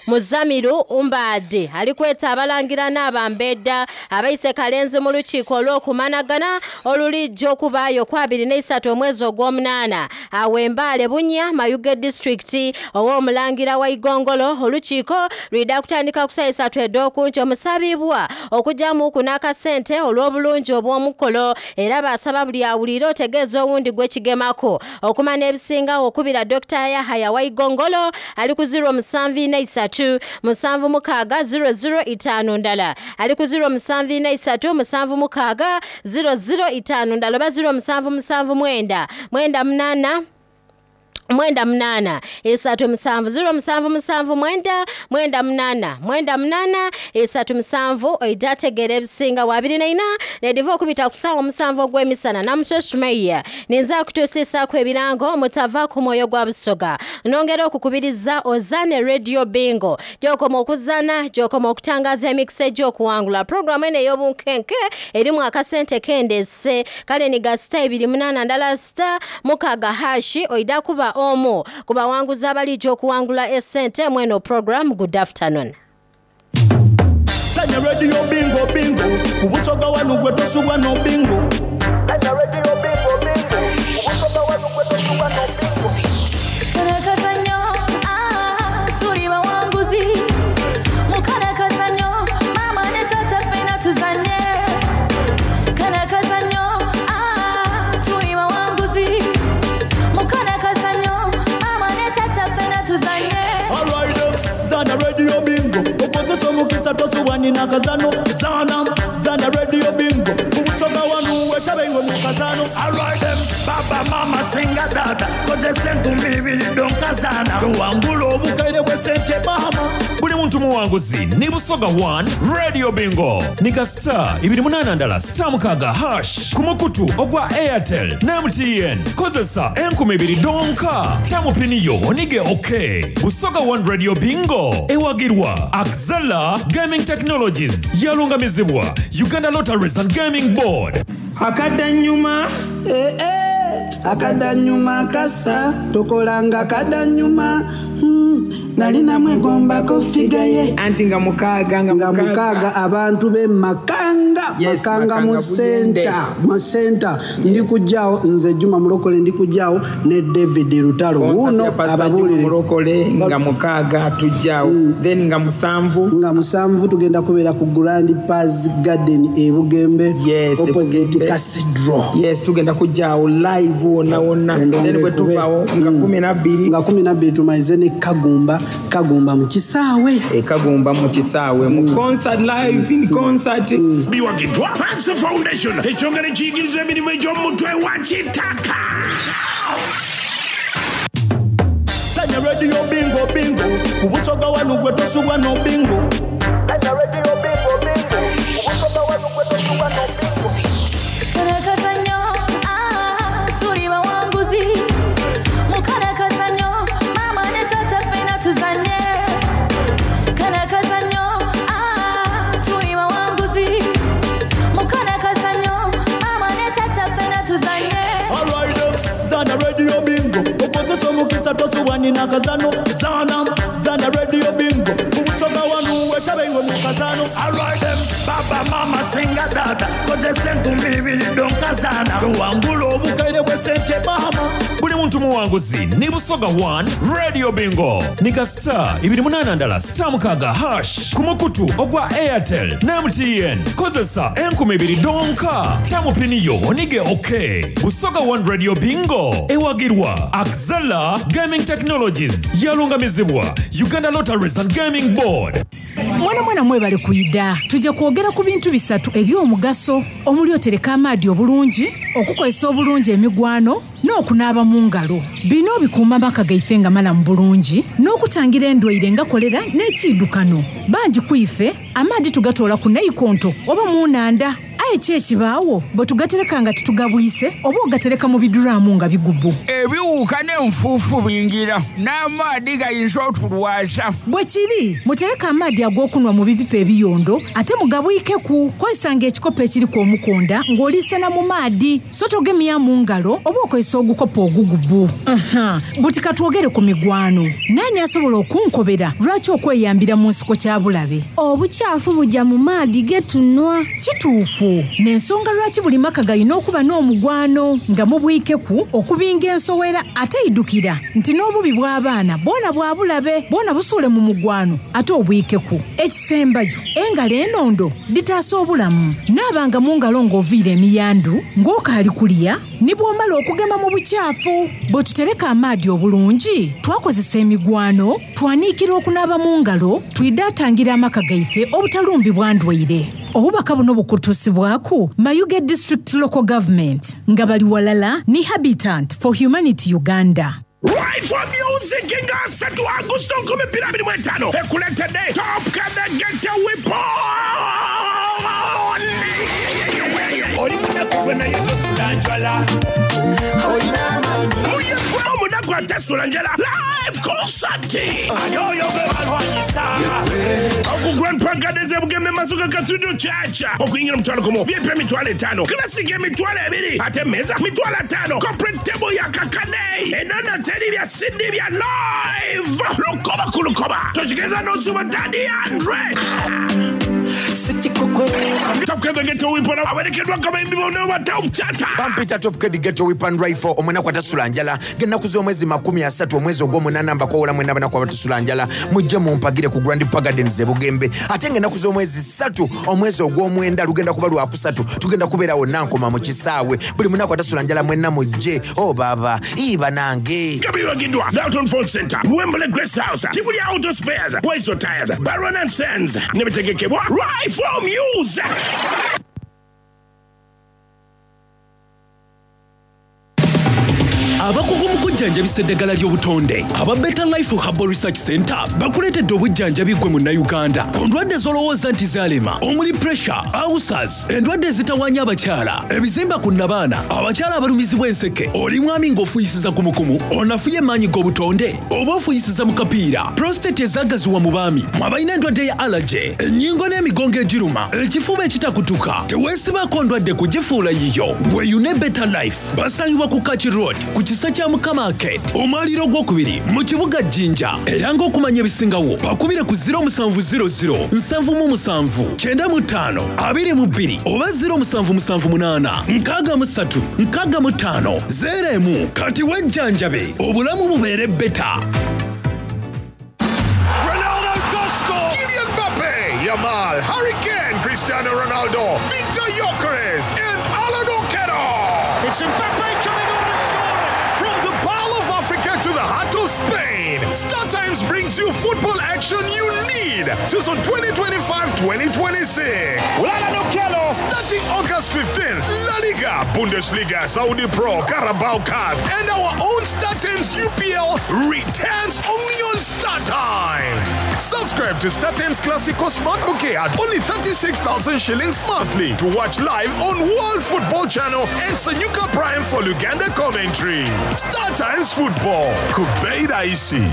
Muzamiru Mbaade ali kweta abalangira n'abambedda abaise Kalenzi mu lukiiko olw'okumanagana olulijja okubaayo ku 23 omwezi ogw'omunaana awo Embaale Bunya Mayuge disitulikiti ow'omulangira wa Igongolo. Olukiiko lwidha kutandika ku ssaawa 3 edh'okunkyo. Musabibwa okugyamuku n'akasente olw'obulungi obw'omukolo era basaba buli awulire otegeeza owundi gwekigemako. Okumanya ebisingawo okubira Dr. Yahaya wa Igongolo ali ku 0743 76 00 5 ndala, ali ku 0743 76 00 5 ndala oba 0779 98 98 37 07 7 9 98 98 37 oija ategeera ebisinga wa 24 nediva okubita ku ssaawa 7 ogw'emisana. Namuswe Sumaiya ninza kutuusiisaku ebirango mutava ku mwoyo gwa Busoga. Nongera okukubiriza ozaane Radio Bingo, gyokoma okuzaana gyokoma okutangaza emikisa egy'okuwangula. Puroguramu eno ey'obunkenke erimu akasente kendese kale ni ga sita 28 ndala sita 6 hashi oida kuba omu ku bawanguzi abalijja okuwangula esente mweno program. Good afternoon. Sanya Radio Bingo Bingo ku Busoga wanu gwe tosubwa no bingo. Sanya Radio Bingo Bingo ku Busoga wanu gwe tosubwa no bingo. Kalakazanyo, ah, tuli bawanguzi. Mukalakazanyo, mama ne tata ffenna tuzanye. Kalakazanyo, ah, tuli bawanguzi. Mukalakazanyo, mama ne tata ffenna tuzanye. Alright, zana Radio Bingo okozesa omukisa tosubwa nina kazano. Zana zana Radio Bingo ku Busoga wanu wetabe iwe mu kazano. Alright, baba mama singa tata kozesa 2000 donkazana tuwangula obukaire bw'esente mama. Buli muntu muwanguzi ni Busoga 1 Radio Bingo nika star 28 ndala sita 6 hash ku mukutu ogwa Airtel ne MTN. Kozesa 2000 donka tamupiniyo onige ok. Busoga 1 Radio Bingo ewagirwa Axela Gaming Technologies, yalungamizibwa Uganda Lotteries and Gaming Board. Akadanyuma. Akadanyuma kasa tokolanga kadanyuma. Nali namwegombako figa ye anti nga mukaaga nga mukaaga abantu be Makanga. Yes, Makanga mu Makanga Buyende. center, mu center. Ndi kujjaawo nze Juma Mulokole, ndi kujjaawo ne David Lutalo. Concert Wuuno ya Pastor Juma ababuulire. Mulokole nga 6 tujjaawo, then nga 7 nga 7 tugenda kubeera ku Grand Paz Garden e Bugembe. Yes, opposite Bugembe. Cathedral. Yes, tugenda kujjaawo live wonna wonna. Then bwe tuvaawo nga 12 nga 12 tumalize ne Kagumba, Kagumba mu kisaawe. E Kagumba mu kisaawe mu concert, live in concert. Biwagiddwa Panso Foundation, ekyongera ekiyigiriza emirimu egy'omutwe wa kitaka. Sanya Radio Bingo Bingo ku Busoga wanu gwe tosubwa no bingo. Sanya Radio Bingo Bingo ku Busoga wanu gwe tosubwa no bingo. Kalakazanyo, ah, tuli bawanguzi. Mukalakazanyo, mama ne tata ffenna tuzanye. Kalakazanyo, ah, tuli bawanguzi. Mukalakazanyo, mama ne tata ffenna tuzanye. Alright, zana Radio Bingo okozesa omukisa tosubwa nina kazano. Zana zana Radio Bingo ku Busoga wanu wetabe iwe mu kazano. Alright, baba mama singa tata kozesa 2000 donkazana tuwangula obukaire bw'esente mama. Buli muntu muwanguzi ni Busoga 1 Radio Bingo nika star 28 ndala sita 6 hash ku mukutu ogwa Airtel ne MTN. Kozesa 2000 donka tamupiniyo onige ok. Busoga 1 Radio Bingo ewagirwa Axela Gaming Technologies, yalungamizibwa Uganda Lotteries and Gaming Board. Mwana mwana mwebale kuyida. Tujja kwogera ku bintu bisatu eby'omugaso omuli otereka amaadi obulungi, okukozesa obulungi emigwano n'okunaaba mu ngalo. Bino bikuuma amaka gaife nga malamu bulungi n'okutangira endwaire nga kolera n'ekiidukano. Bangi ku ife amaadi tugatoola ku naikonto oba mu nnanda. Aye ki ekibaawo bwe tugatereka nga tetugabwise oba ogatereka mu biduraamu nga bigubu? Ebiwuka n'enfuufu bingira n'amaadi gayinza otulwaza. Bwe kiri, mutereke amaadi ag'okunwa mu bipipa ebiyondo ate mugabwikeku. Kozesanga ekikopo ekiriku omukonda ng'oliisena mu maadi, so togemya mu ngalo oba okozesa ogukopo ogugubu. Aha, buti katwogere ku migwano. Naani asobola okunkobera lwaki okweyambira mu nsiko kya bulabe? Obukyafu bujja mu maadi ge tunwa. Kituufu, n'ensonga lwaki buli maka galina okuba n'omugwano nga mubwikeku okubinga ensowera, ate idukira nti n'obubi bw'abaana bwona bwa bulabe, bwona busuule mu mugwano ate obwikeku. Ekisembayo, engalo enondo ditaasa obulamu. Naabanga mu ngalo ng'oviira emiyandu, ng'okaali kulya, ne bw'omala okugema mu bukyafu. Bwe tutereka amaadi obulungi, twakozesa emigwano, twaniikira okunaaba mu ngalo, twidaatangira amaka gaife obutalumbibwa ndwaire. Obubaka buno bukutuusibwaku Mayuge District Local Government nga bali walala ni Habitat for Humanity Uganda. Right for Music nga asatu Agusto 2025 ekuleetedde Top Kadagete Weapon. Oli munaku gwe naye tosula njala. Oye gwe omunaku atasula njala live concert. Ani oyo gwe balwanyisa? Oku Grand Park Gardens e Bugembe Masuka Cathedral Church. Okuyingira 50,000, VIP 50,000, Classic 20,000, ate meza 50,000, corporate table ya kakane. Enono teri bya CD bya live. Lukoba ku lukoba. Toshikeza n'osuba Daddy Andre. Top Kid Ghetto Weapon awerekeddwa abayimbi bonna ba Top Chata. Bampita Top Kid Ghetto Weapon Rifle omunaku atasula njala ng'ennaku z'omwezi 30 omwezi ogw'omunaana mbakoowola mwenna abanaku abatasula njala mujje mumpagire ku Grand Park Gardens e Bugembe ate ng'ennaku z'omwezi 3 omwezi ogw'omwenda lugenda kuba lwakusatu tugenda kubeera wonna nkoma mu kisaawe buli munaku atasula njala mwenna mujje o baba ii banange. Gabiwagiddwa Dalton Phone Center, Wembley Grace House, Kibuli Auto Spares, Waiso Tires, Baron and Sons ne bitegekebwa Rifle Music. Abakugu mu kujjanjabisa eddagala ly'obutonde aba Better Life Herbal Research Center bakuleetedde obujjanjabi ggwe munnayuganda ku ndwadde z'olowooza nti zaalema omuli pressure, ulcers, endwadde ezitawaanya abakyala, ebizimba ku nnabaana, abakyala abalumizibwa enseke, oli mwami ng'ofuuyisiza kumukumu, onafuye emaanyi g'obutonde oba ofuuyisiza mu kapiira, prostate ezaagaziwa mu baami, mwe abalina endwadde ya allergy, ennyingo n'emigongo egiruma, ekifuba ekitakutuka, teweesibaako ndwadde kugifuula yiyo. Weeyune Better Life basangibwa ku Kaki Road ku kisa kya Mukama Arcade omwaliiro ogwokubiri mu kibuga Jinja era ng'okumanya ebisingawo bakubire ku 0700 77 95 22 oba 0778 63 65 01 kati wejjanjabe obulamu bubeere beta. Ronaldo does score! Kylian Mbappe, Yamal, Harry Kane, Cristiano Ronaldo, Victor Gyökeres, and Alan Okello. It's Mbappe coming on and scoring! From the Pearl of Africa to the heart of Spain, Star Times brings you football action you need. Season 2025-2026. Alan Okello! Starting August 15th, La Liga, Bundesliga, Saudi Pro, Carabao Cup, and our own Star Times UPL returns only on Star Times. Subscribe to Star Times Classico Smart Bouquet at only 36,000 shillings monthly to watch live on World Football Channel and Sanyuka Prime for Luganda commentary. Star Times Football. Kubeida Isi.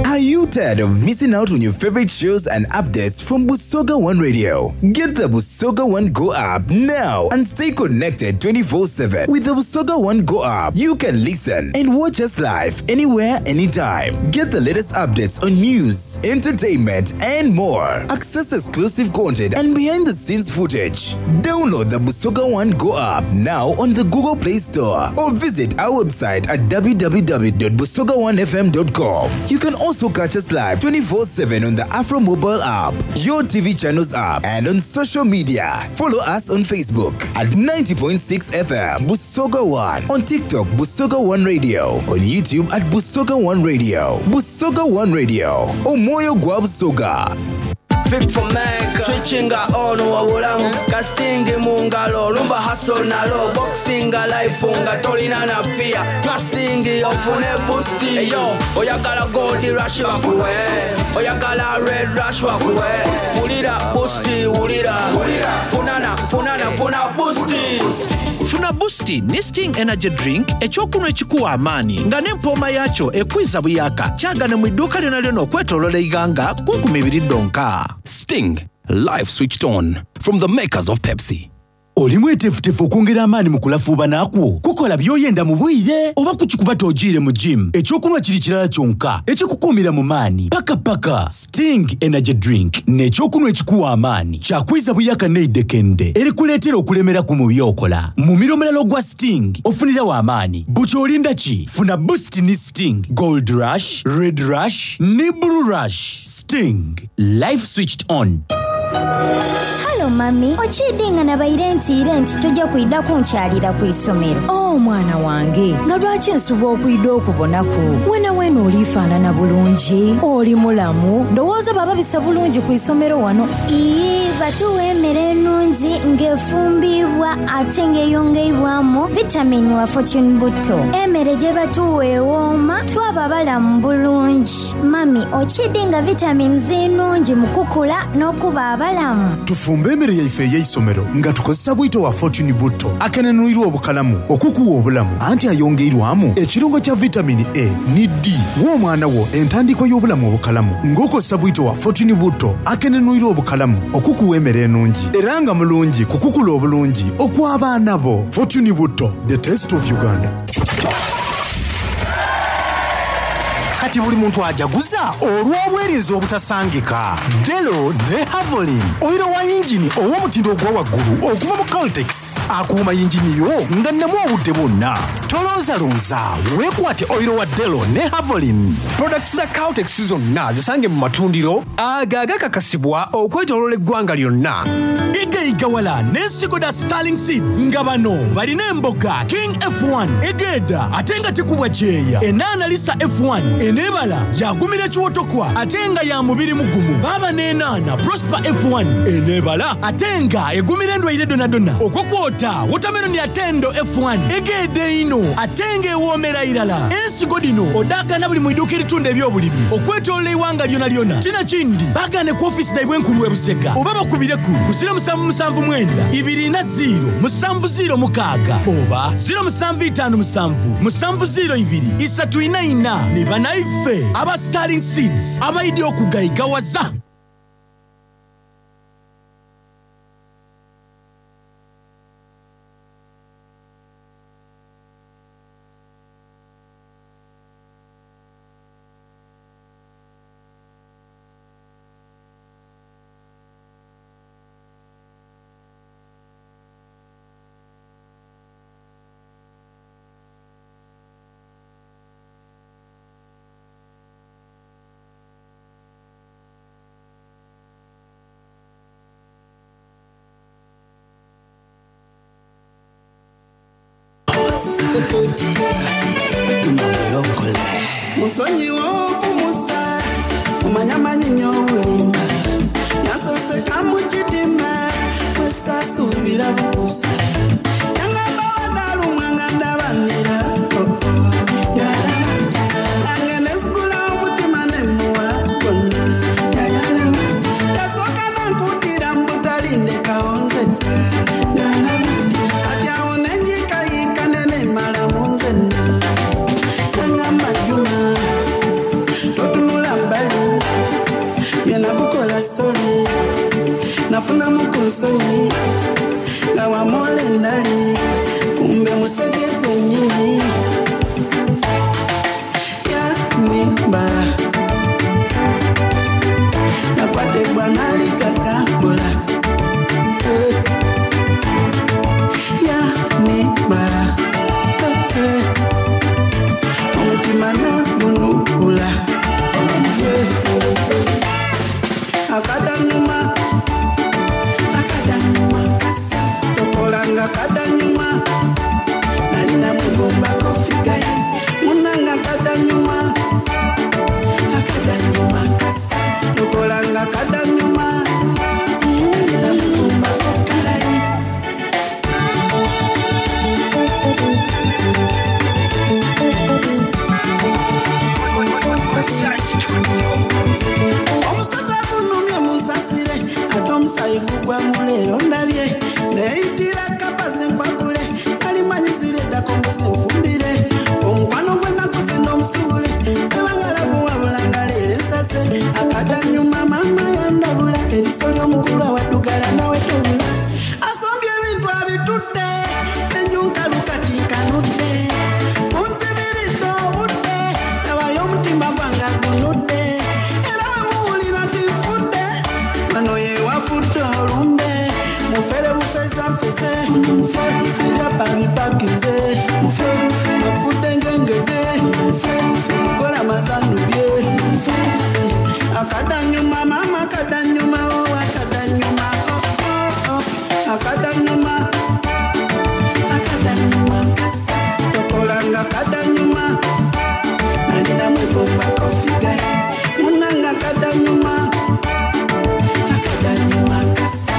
Are you tired of missing out on your favorite shows and updates from Busoga One Radio? Get the Busoga One Go app now and stay connected 24/7. With the Busoga One Go app, you can listen and watch us live anywhere, anytime. Get the latest updates on news, entertainment, and more. Access exclusive content and behind-the-scenes footage. Download the Busoga One Go app now on the Google Play Store or visit our website at www.busoga1fm.com. You can also catch us live 24/7 on the Afro mobile app, your TV channels app, and on social media. Follow us on Facebook at 90.6 FM Busoga One, on TikTok Busoga One Radio, on YouTube at Busoga One Radio, Busoga One Radio, Omoyo gwa Busoga. Fik for Mecca Switchinga on wabulamu Casting mu ngalo Lumba hustle nalo Boxinga life nga tolina na fear Trusting ofune boost Eyo oyagala gold rush bakuwe Oyagala red rush bakuwe Wulira boost wulira Funana funana funa boost Funa Boost ne Sting Energy Drink ekyokunwa ekikuwa amaanyi nga n'empooma yaakyo ekwiza buyaka kyagane mu idduuka lyona lyona okwetooloola eighanga ku 20 ddonka. Sting, life switched on from the makers of Pepsi. Oli mweteefuteefu okwongera amaanyi mu kulafuubana kwo kukola by'oyenda mu bwire oba kukikuba togiire mu gym ekyokunwa kiri kirala kyonka ekikukuumira mu maanyi paka paka Sting Energy Drink n'ekyokunwa ekikuwa amaanyi kyakwiza buyaka n'eidekende erikuleetera okulemeraku mu by'okola mumiro omulala ogwa Sting ofunirawo amaanyi buti olinda ki funa Boost ne Sting Gold Rush, Red Rush ne Blue Rush. Sting, life switched on. Halo mami, okiidde nga nabaire ntiire nti tojja kwidda kunkyalira ku isomero. Oh mwana wange, nga lwaki nsuba okwidda okubonaku? Wena wena oliifaanana bulungi, oli mulamu, ndowooza baba bisa bulungi ku isomero wano. Ii, Batuwa emere enungi ng'efumbiibwa ate ng'eyongeibwamu vitamini wa Fortune Butto. Emere gye batuwa ewooma twaba balamu bulungi. Mami, okiidhi nga vitamini nnungi mu kukula n'okuba abalamu? Tufumbe emere yaife ey'eisomero nga tukozesa bwito wa Fortune Butto akenenwirwa obukalamu okukuwa obulamu anti ayongeirwamu ekirungo kya vitamini A ni D. Wa omwana wo entandikwa y'obulamu obukalamu ng'okozesa bwito wa Fortune Butto akenenwirwa obukalamu okukuwa emere enungi era nga mulungi ku kukula obulungi okw'abaana bo. Fortune Butto, the taste of Uganda. Kati buli muntu ajaguza olw'obwerinzi obutasangika. Delo ne Havolin, oyiro wa yingini ow'omutindo ogwa waggulu okuva mu Caltex akuuma yingini yo nga nnamu obudde bwonna. Tolonzalonza, weekwate oyiro wa Delo ne Havolin. Products za Caltex zonna zisange mu matundiro ago agakakasibwa okwetooloola eggwanga lyonna. Igaigawala n'ensigo dha Starling Seeds nga bano balina emboga King F1 egeeda ate nga tekubwa kyeya, enaana Lisa F1 eneebala yaagumira ekiwotokwa ate nga ya mubiri mugumu, baaba n'enaana Prosper F1 eneebala ate nga egumira endwaire dhonadhona, okwo kwota wotameroni Atendo F1 egeeda einho ate nga ewoomera irala. Ensigo dhino odhaagaana buli mu iduuka eritunda eby'obulimi okwetoolola eighanga lyonalyona. Kino kindi baagaane ku ofiisi dhaibwe enkulu e Busega oba bakubireku ku 0779 40 706 oba 0757 702 344 ni banaife aba Sterling Seeds abaidhi okugaigawaza. Musonyiwe okumusa omanya manyinya obulimba yasoseka mu kitima wesasuubira bukusa yangamba wadalumwa nga ndabanira nange nesigula omutima nemuwa gonna yasooka nankutira mbutalindekawo nzeka kati awo nenjikayika nenemala mu nzenna nangamba Juma totunula mbalu byenakukola soli nafunamu ku nsonyi nga wamola endali kumbe musege gwennyini yanimba yakwatebwa nalikakambula yanimba omutima nagunukula akadanyuma akadanyuma kasa tokolanga kadanyuma nalina mwegombako figaye munanga kadanyuma akadanyuma kasa tokolanga kadanyuma nalina mwegombako kalaye. Omusota gunumye munsasire ate omusayi gugwamu leero ndabye neyitira kapa zenkwakule nalimanyizire eddako mbuzi nfumbire omukwano gwe nakoze n'omusuule ebangalabu wabulanga leero ensase akadanyuma maama yandabula eriso ly'omukulu awaddugala nawe tobula asombye ebintu abitudde enju nkalu kati nkanudde munsibiridde obudde tabayo omutima gwange agunudde era wemuwulira nti nfudde wano yewafudde olumbe mufere bufeza nfese byapa bipakinze nfudde ngengege kola mazanubye akadanyuma mama akadanyuma o akadanyuma oh, oh, oh. Akadanyuma akadanyuma kasa tokolanga kadanyuma nalina mwegombako figaye munanga kadanyuma akadanyuma kasa.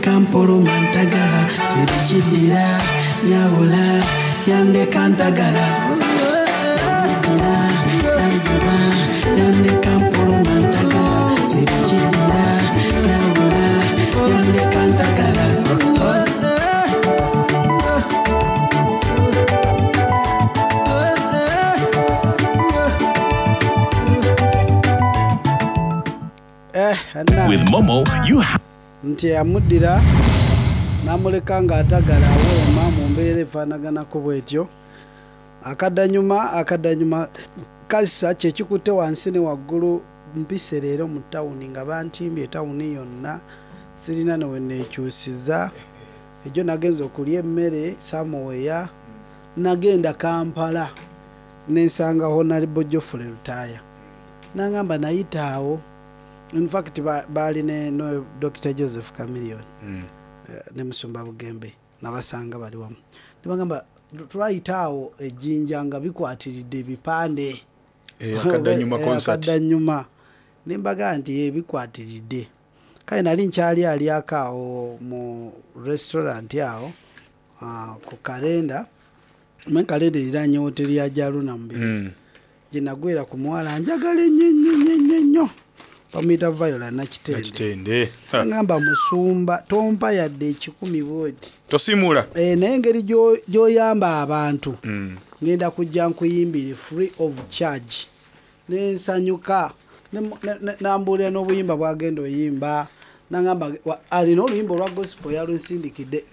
Yandeka mpoloma ntagala sirikidira nyabula yandeka ntagala Yamudira yanziba yandeka mpoloma ntagala sirikidira nyabula yandeka ntagala. Eh, na. With Momo, you have. Nti amuddira n'amuleka ng'atagala awooma mu mbeera efaanaganako bw'etyo. Akaddanyuma akaddanyuma kassa kye kikutte wansi ne waggulu mpise leero mu tawuni nga bantimbye tawuni yonna sirina ne we neekyusiza. Ejjo nagenze okulya emmere saamuweya nagenda Kampala ne nsanga Honorable Geoffrey Lutaaya n'angamba nayita awo in fact baali ne no Dr. Joseph Chameleone ne Musumba Bugembe nabasanga bali wamu ne bagamba twayita awo e Jinja nga bikwatiridde ebipande. Akaddanyuma concert. Akaddanyuma ne mbaga nti bikwatiridde. Kale nali nkyali alyako awo mu restaurant awo ku kalenda mwe kalenda eriraanye woteri ya Jaruna Mubiru. Gye nagwera ku muwala njagala ennyo ennyo ennyo ennyo nnyo bamuyita Viola Nakitende. Nakitende. Ngamba musumba tompa yadde ekikumi bw'oti. Tosimula. Naye engeri gy'oyamba abantu ngenda kujja nkuyimbire free of charge. Ne nsanyuka. Nambuulira n'obuyimba bw'agenda oyimba. Nangamba alina oluyimba olwa gospel yalunsindikidde.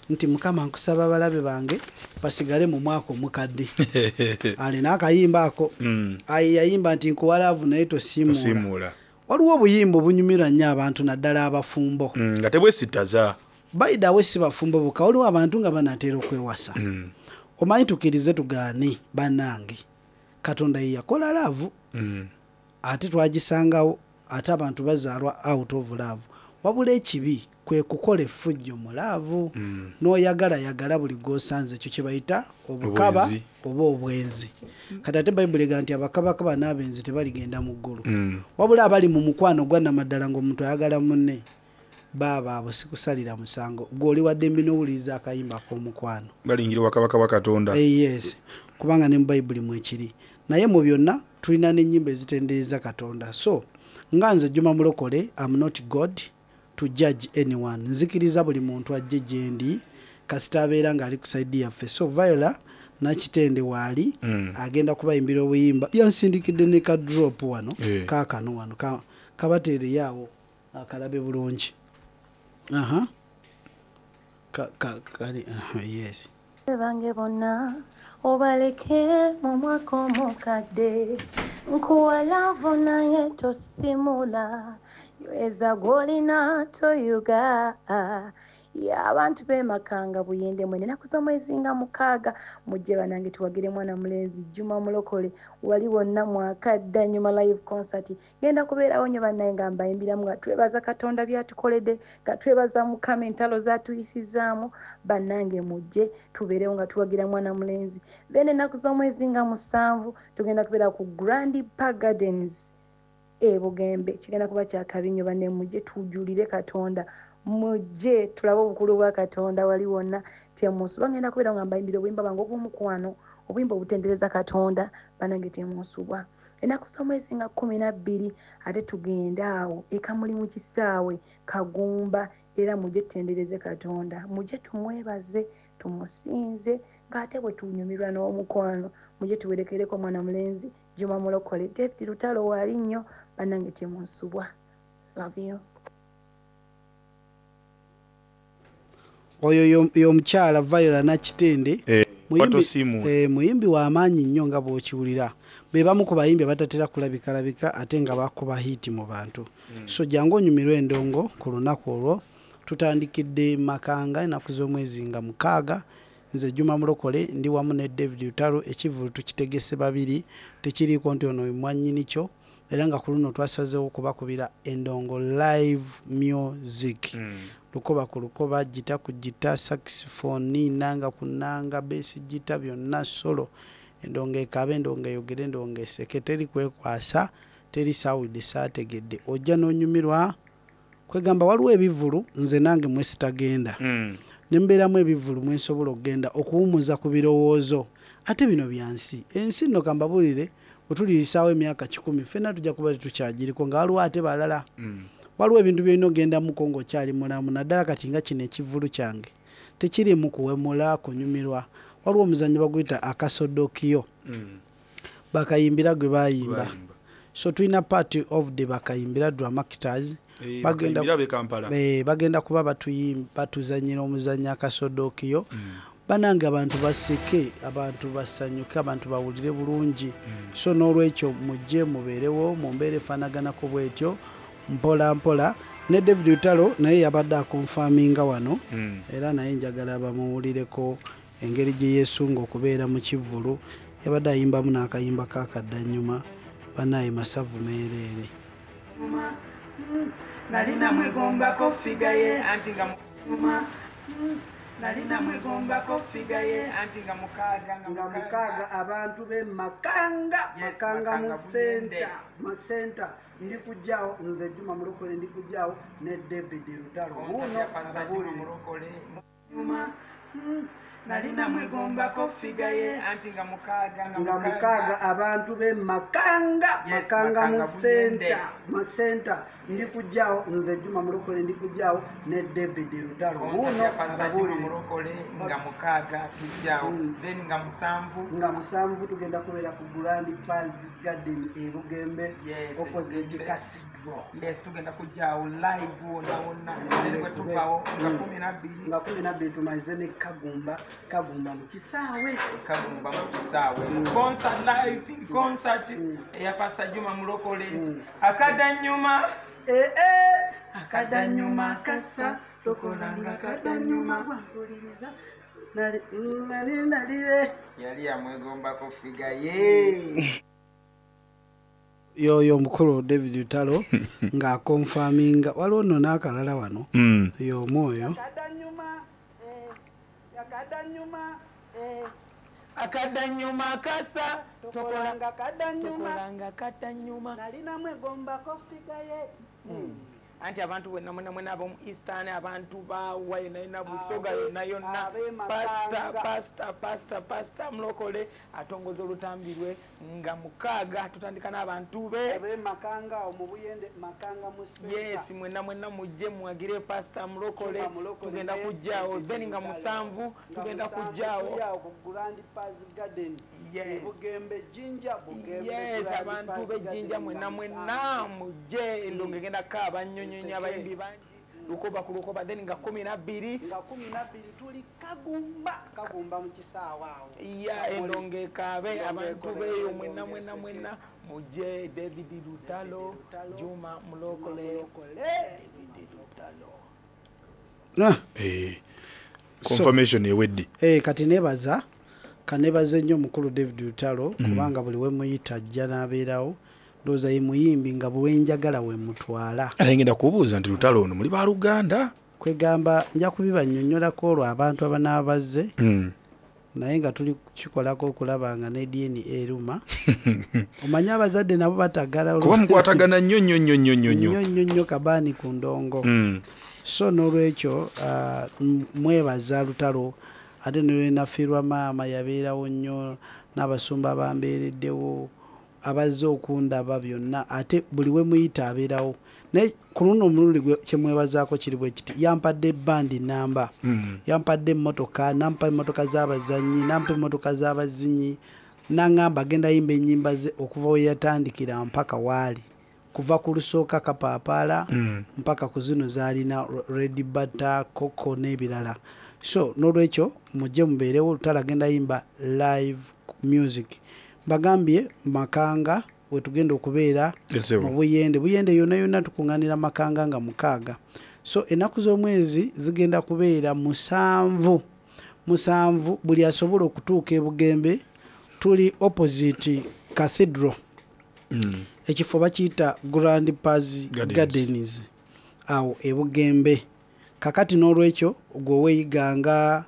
Nti Mukama nkusaba abalabe bange basigale mu mwaka omukadde. Alina akayimba ako. Ayi yayimba nti nkuwa laavu naye tosiimuula. Tosiimuula. Waliwo obuyimba obunyumira nnyo abantu naddala abafumbo. Nga tebwesittaza. By the way, si bafumbo bokka, waliwo abantu nga banaatera okwewasa. Omanyi tukkirize tugaane bannange. Katonda ye yakola laavu. Ate twagisangawo, ate abantu bazaalwa out of love. Wabula ekibi kwe kukola effujjo mu laavu. N'oyagala yagala buli gw'osanze, ekyo kye bayita obukaba Obwenzi. oba obwenzi. Kati ate Bayibuli egamba nti abakabakaba n'abenzi tebaligenda mu ggulu. Wabula abali mu mukwano gwa nnamaddala ng'omuntu ayagala munne, baaba abo sikusalira musango. Ggwe oli wa ddembe n'owuliriza akayimba ak'omukwano. Balingira obwakabaka bwa Katonda. Yes, kubanga ne mu Bayibuli mwekiri. Naye mu byonna tulina n'ennyimba ezitendereza Katonda. So nga nze Juma Mulokole, I'm not God to judge anyone. Nzikiriza buli muntu ajje gye ndi kasita abeera ng'ali ku side yaffe. So Viola Nakitende waali agenda kubayimbira obuyimba. Yansindikidde ne ka drop wano, kaakano wano, kabateereyo awo akalabe bulungi. Aha. Ka, ka, kali, aha, yes. Bange bonna obaleke mu mwaka omukadde, nkuwa laavu naye tosimula, nyweza gw'olina toyuga. Ya abantu b'emakanga Buyende mwene ennaku z'omwezi nga 6 mujje bannange tuwagire mwana mulenzi Juma Mulokole wali wonna mwakadda nyuma live concert. Ngenda kubeerawo nnyo bannaye nga mbayimbiramu nga twebaza Katonda by'atukoledde, nga twebaza Mukama entalo z'atuyisizaamu. Bannange mujje tubeerewo nga tuwagira mwana mulenzi. Then ennaku z'omwezi nga 7 tugenda kubeera ku Grand Park Gardens e Bugembe. Kigenda kuba kya kabi nnyo banne, mujje tujulire Katonda, mujje tulabe obukulu bwa Katonda wali wonna. Temunsubwa, ngenda kubeera nga mbayimbira obuyimba bwange obw'omukwano, obuyimba obutendereza Katonda. Bannange temunsubwa. Ennaku z'omwezi nga 12 ate tugende awo e Kamuli mu kisaawe Kagumba, era mujje tutendereze Katonda, mujje tumwebaze, tumusinze ng'ate bwe tunyumirwa n'omukwano. Mujje tuwerekereko mwana mulenzi Juma Mulokole, David Lutalo waali nnyo. Bannange temunsubwa. Love you. Oyo y'omukyala Viola Nakitende. Watosiimuula. Muyimbi wa maanyi nnyo nga bw'okiwulira. Be bamu ku bayimbi abatatera kulabikalabika ate nga bakuba hiiti mu bantu. So jangu onyumirwe endongo ku lunaku olwo. Tutandikidde Makanga ennaku z'omwezi nga 6. Nze Juma Mulokole ndi wamu ne David Lutalo. Ekivvulu tukitegese babiri, tekiriiko nti ono mwannyini kyo. Era nga ku luno twasazeewo okubakubira endongo live music. Lukoba ku lukoba, gita ku gita, saxophone, nanga ku nanga, bass gita, byonna solo. Endongo ekaabe, endongo eyogere, endongo eseke, teri kwekwasa, teri sawudde saategedde. Ojja n'onyumirwa Kwegamba waliwo ebivulu nze nange mwe sitagenda. Ne mbeeramu ebivulu mwe nsobola okugenda okuwumuza ku birowoozo. Ate bino bya nsi. Ensi nno kambabuulire bwe tuliyisaawo emyaka kikumi ffenna tujja kuba tetukyagiriko nga waliwo ate balala. Waliwo ebintu by'olina ogendamuko ng'okyali mulamu naddala kati nga kino ekivvulu kyange tekiriimu kuwemula, kunyumirwa. Waliwo omuzannyo baguyita akasodokiyo. Bakayimbira gwe bayimba. So tulina part of the Bakayimbira Dramactors. Eh, Bagenda Bakayimbira ab'e Kampala. Eh, bagenda kuba batuzannyira omuzannyo akasodokiyo. Banange abantu baseke, abantu basanyuke, abantu bawulire bulungi. So n'olwekyo mujje mubeerewo mu mbeera efaanaganako bwetyo mpola mpola. Ne David Lutalo naye yabadde akonfaminga wano. Era naye njagala bamuwulireko engeri gye yeesunga okubeera mu kivvulu. Yabadde ayimbamu n'akayimba k'akaddannyuma banaye masavu meereere. Nalina mwegombako ffiga ye anti nga nalina mwegombako ffiga ye anti nga mukaaga nga mukaaga abantu b'e Makanga, Makanga mu center, mu center. Ndi kujjaawo nze Juma Mulokole, ndi kujjaawo ne David Lutalo. Wuuno ababuulire. Nalina mwegombako ffiga ye anti nga mukaaga nga mukaaga abantu b'e Makanga, Makanga mu center, mu center. Ndi kujjaawo nze Juma Mulokole, ndi kujjaawo ne David Lutalo. Wuuno ababuulire. Mulokole nga mukaaga tujjaawo. Then nga musanvu. Nga musanvu tugenda kubeera ku Grand Paz Garden e Bugembe, Yes, opposite Bugembe. Cathedral. Yes, tugenda kujjaawo live wonna wonna. Then bwe tuvaawo nga kumi na bbiri. Nga kumi na bbiri tumalize ne Kagumba, Kagumba mu kisaawe. Kagumba mu kisaawe. Concert live in concert eya Pastor Juma Mulokole. Akadanyuma. Eh, eh, akadanyuma kasa tokolanga kadanyuma bwakuliriza. Nali, nali, nali, eh. Yali yamwegombako ffiga ye. Yoyo omukulu David Lutalo ng'akonfaminga. Waliwo nno n'akalala wano. Y'omu oyo. Akadanyuma, eh, akadanyuma, eh. Akadanyuma kasa tokolanga kadanyuma. Tokolanga kadanyuma. Nalina mwegombako ffiga ye. Anti abantu bwenna mwena mwena ab'omu Eastern, abantu ba wa yonna yonna, Busoga yonna yonna, Abe Pastor, Makanga. Pastor, Pastor, Pastor Mulokole atongoza olutambi lwe nga mukaaga tutandika n'abantu be. Abe Makanga awo mu Buyende, Makanga mu center. Yes, mwena mwena mujje muwagire Pastor Mulokole. Juma Mulokole Tugenda ne kujjaawo. David Then nga Lutalo. musanvu, Nga tugenda musanvu kujjaawo. tuli awo ku Grand Paz Garden. Yes. E Bugembe, Jinja, Bugembe, Yes, Grand abantu Paz b'e Jinja Garden mwena nga mwena musanvu. mujje, endongo egenda kaaba nnyo nnyo nnyo, Eseke. abayimbi bangi. Lukoba ku lukoba, then nga kumi na bbiri. Nga kumi na bbiri tuli Kagumba, Kagumba mu kisaawe awo. Ya, endongo ekaabe, Endongo abantu ekole, beeyo endongo mwena mwena eseke. mwena mujje. David Lutalo, Juma Mulokole. David Lutalo. Confirmation ewedde. Kati nebaza, kanebaze nnyo omukulu David Lutalo, kubanga buli we muyita ajja n'abeerawo. Ndowooza ye muyimbi nga bwe njagala we mutwala. Ate ngenda kubuuza nti Lutalo ono muli baluganda? Kwegamba nja kubibannyonnyolako olwo abantu abanaaba bazze. Naye nga tuli kukikolako okulaba nga ne DNA eruma. Omanyi abazadde nabo batagala Kuba mukwatagana nnyo nnyo nnyo nnyo nnyo nnyo. Nnyo nnyo nnyo kabaani ku ndongo. So n'olwekyo, mwebaza Lutalo, ate ne lwe nafiirwa maama yabeerawo nnyo, n'abasumba bambeereddewo, abazze okundaba byonna, ate buli we muyita abeerawo. Naye ku luno omulundi gwe kye mwebazaako kiri bwe kiti, yampadde bandi nnamba, yampadde emmotoka, nampa emmotoka z'abazannyi, nampa emmotoka z'abazinyi, n'aŋŋamba agenda yimba ennyimba ze okuva we yatandikira mpaka waali. Kuva ku lusooka Kapaapaala mpaka ku zino z'alina Red Butter, Coco n'ebirala. So n'olwekyo mujje mubeerewo, Lutalo agenda yimba live music. Mbagambye Makanga we tugenda okubeera Esebo. mu Buyende. Buyende yonna yonna tukuŋŋaanira Makanga nga mukaaga. So ennaku z'omwezi zigenda kubeera musanvu. Musanvu buli asobola okutuuka e Bugembe, tuli opposite Cathedral. Ekifo bakiyita Grand Paz Gardens. Gardens awo e Bugembe. Kakati n'olwekyo gwe weeyiganga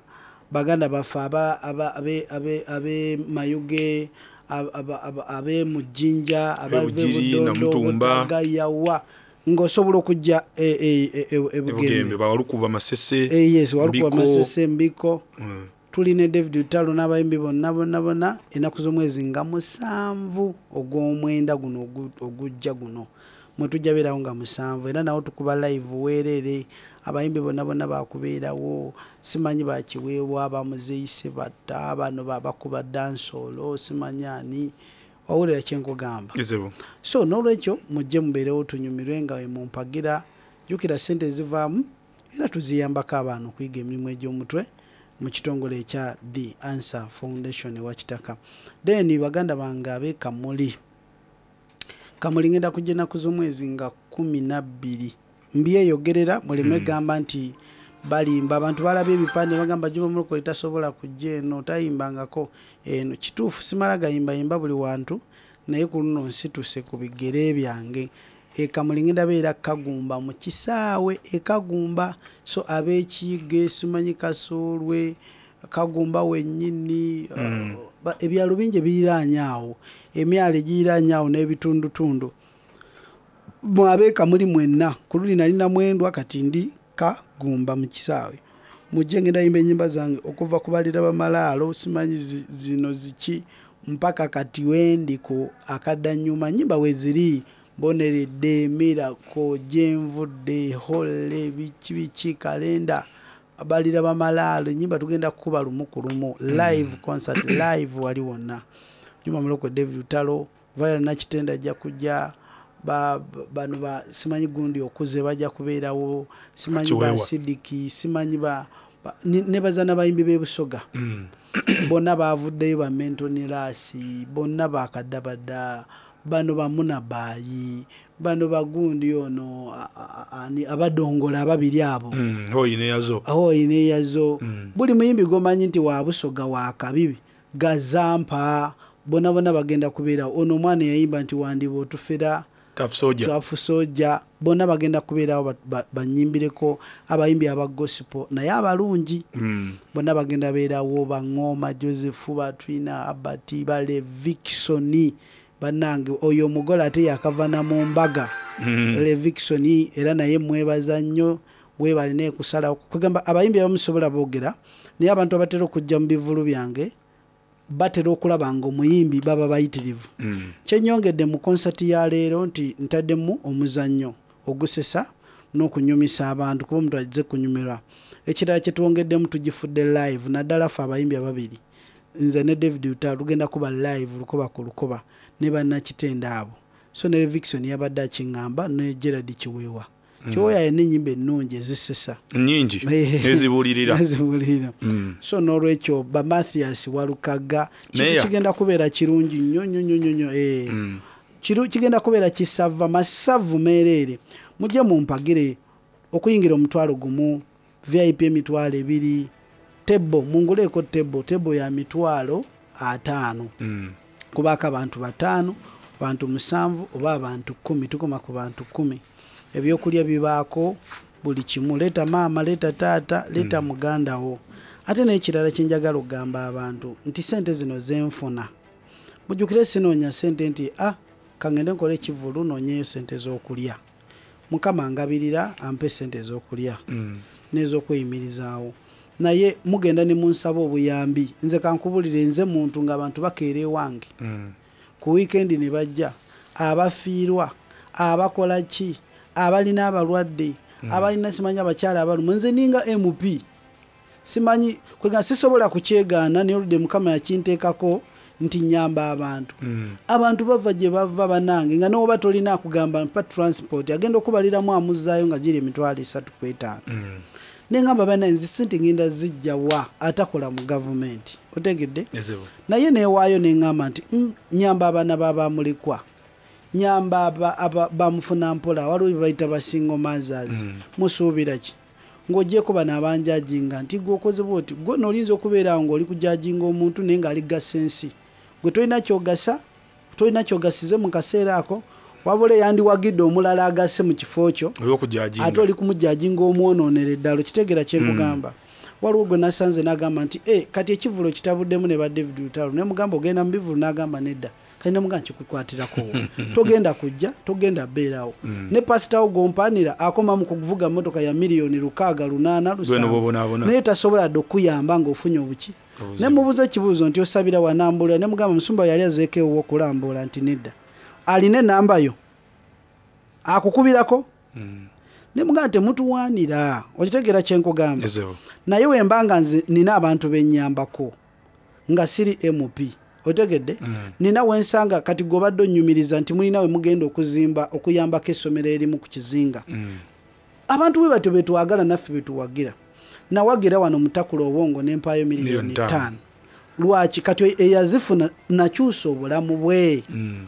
baganda baffe abe Mayuge, abe Mujinja, abave Bujiri, Budondo, Namutumba. Butagayawa. Ng'osobola okujja e, e, e, e, e Bugembe. Bugembe bawalukuba Masese. Eh, yes, Walukuba Mbiko. Masese, Mbiko. Tuli ne David Lutalo n'abayimbi bonna bonna bonna ennaku z'omwezi nga 7 ogw'omwenda guno ogujja guno mwe tujja beerawo nga 7, era nawo tukuba live weerere, abayimbi bonna bonna bakubeerawo, simanyi bakiweebwa bamuzeeyi Sebatta, bano babakuba dancehall, simanyi ani, wawulira kye nkugamba? Ezibu. So n'olwekyo mujje mubeerewo tunyumirwe nga we mumpagira. Jjukira ssente ezivaamu era tuziyambako abaana okuyiga emirimu egy'omutwe mu kitongole ekya The Answer Foundation ewa Kitaka. Then baganda bange ab'e Kamuli, Kamuli ngenda kujja ennaku z'omwezi nga 12, mbyeyogerera muleme gamba nti balimba. Abantu balabye ebipande bagamba Juma Mulokole tasobola kujja eno, tayimbangako eno. Kituufu simala gayimbayimba buli wantu, naye ku luno nsituse ku bigere byange. E Kamuli ngenda beera Kagumba mu kisaawe e Kagumba, so ab'ekiige simanyi Kasoolwe, Kagumba wennyini, ebyalo bingi ebiriraanye awo, emyalo egiriraanye awo n'ebitundutundu. Mwe ab'e Kamuli mwenna, ku luli nali Namwendwa, kati ndi Kagumba mu kisaawe. Mujje ngenda yimba ennyimba zange okuva ku balira bamalaalo, simanyi zino ziki, mpaka kati wendi ku akaddannyuma. Nnyimba weeziri, Mboneredde, Miracle, Gyenvudde, Holle, biki biki, Kalenda, balira bamalaalo, ennyimba tugenda kukuba lumu ku lumu, live concert, live wali wonna. Juma Mulokole, David Lutalo, Viola Nakitende ajja kujja, bano ba simanyi gundi okuze bajja kubeerawo, simanyi ba Kiweewa. Sidiki, simanyi ba, ba, ne baza n'abayimbi b'e Busoga. Bonna baavuddeyo, ba Mentoni Lasi, bonna bakadabada, bano ba Munabayi, bano bagundi ono, ani, abadongola ababiri abo. Hoyi ne Yazo. Hoyi ne Yazo. Buli muyimbi gw'omanyi nti wa Busoga wa kabibi, Gazampa, bonna bonna bagenda kubeerawo. Ono omwana eyayimba nti wandiba otufera, Tough Soldier. Tough Soldier, bonna bagenda kubeerawo banyimbireko abayimbi aba gospel naye abalungi. Bonna bagenda beerawo, ba Ngoma Joseph, ba Twina Albert, ba Levixone. Bannange oyo omugole ate yakava na mu mbaga. Levixone era naye mwebaza nnyo, weebale naye kusalawo. Kugamba abayimbi abamu sobola boogera, naye abantu abatera okujja mu bivvulu byange batera okulaba nga omuyimbi baba bayitirivu. Kye nnyongedde mu konsati ya leero nti ntaddemu omuzannyo ogusesa n'okunyumisa abantu, kuba omuntu ajje kunyumirwa. Ekirala kye twongeddemu tugifudde live, naddala ffe abayimbi ababiri, nze ne David Lutalo tugenda kuba live lukoba ku lukoba ne bannakitende abo. So ne Levixone yabadde akiŋŋamba ne Gerald Kiweewa. Kiweewa yalina ennyimba ennungi ezisesa. Nnyingi. Ezibuulirira. Ezibuulirira. So n'olwekyo ba Mathias Walukaga, Meya. kigenda kubeera kirungi nnyo, nnyo, nnyo, nnyo, nnyo. Kigenda kubeera kisava, masavu meereere. Mujje mumpagire okuyingira 10,000, VIP 20,000, tebo, munguleeko tebo, tebo ya 50,000. Kubaako abantu 5, abantu 7 oba abantu 10, tukoma ku bantu 10. Ebyokulya bibaako buli kimu, leeta maama, leeta taata, leeta muganda wo. Ate n'ekirala kye njagala okugamba abantu nti ssente zino ze nfuna, mujjukire sinoonya ssente nti, kangende nkole ekivvulu noonyeyo ssente z'okulya. Mukama angabirira ampe ssente ez'okulya n'ez'okweyimirizaawo. Naye mugenda ne munsaba obuyambi. Nze kankubulire, nze muntu ng'abantu bakeera ewange. Ku wiikendi ne bajja, abafiirwa, abakola ki, abalina abalwadde, abalina simanyi abakyala abalumwa. Nze ninga MP. Simanyi, kwega sisobola kukyegaana, naye oludde Mukama yakinteekako nti nnyamba abantu. Abantu bava gye bava bannange, nga n'oba tolina akugamba mpa transport, agenda okubaliramu amuzzaayo nga giri 350,000. Ne ngamba bannange, nze ssente ngenda zijja wa atakola mu gavumenti, otegedde? Ezibu. Naye neewaayo ne ŋŋamba nti, nnyamba abaana ba bamulekwa, nnyamba bamufuna mpola, waliwo bye bayita ba single mothers. Musuubira ki? Ng'ogyeko bano abanjajinga nti gwe okoze bw'oti, gwe nno oyinza okubeera awo ng'oli kujajinga omuntu naye ng'ali gasa ensi. Gwe tolina ky'ogasa, tolina ky'ogasize mu kaseera ako, wabula eyandiwagidde omulala agase mu kifo kyo, Oli okujajinga. ate oli kumujajinga omwonoonera eddala, okitegeera kye nkugamba. Waliwo gwe nasanze n'agamba nti, kati ekivvulo kitabuddemu ne ba David Lutalo. Ne mugamba ogenda mu bivvulu, n'agamba nedda. Kati nemuga nkikukwatirako togenda kujja, togenda beerawo. Ne pasitawo gwompanira akoma mu kuvuga motoka ya miliyoni 6, 8, Gwe n'obonaabona. 7, naye tasobola dde okuyamba ng'ofunye obuki. Obuzibu. Nemubuuza ekibuuzo nti osabira wanambula, nemugamba musumba yali azeeko ewuwo okulambula, nti nedda. Alina enamba yo akukubirako? Nemugamba temutuwaanira, okitegeera kyenkugamba? Ezebu. Naye wemba nga nze nina abantu benyambako nga siri MP, otegedde? Nina wensanga kati gwe obadde onnyumiriza nti mulina we mugenda okuzimba okuyambako essomero erimu ku kizinga. Abantu bwe batyo betwagala naffe betuwagira. Nawagira wano mutakula obwongo nempaayo miliyoni Miliyoni ttaano. 5. Lwaki? Kati eyazifuna nakyusa obulamu bwe,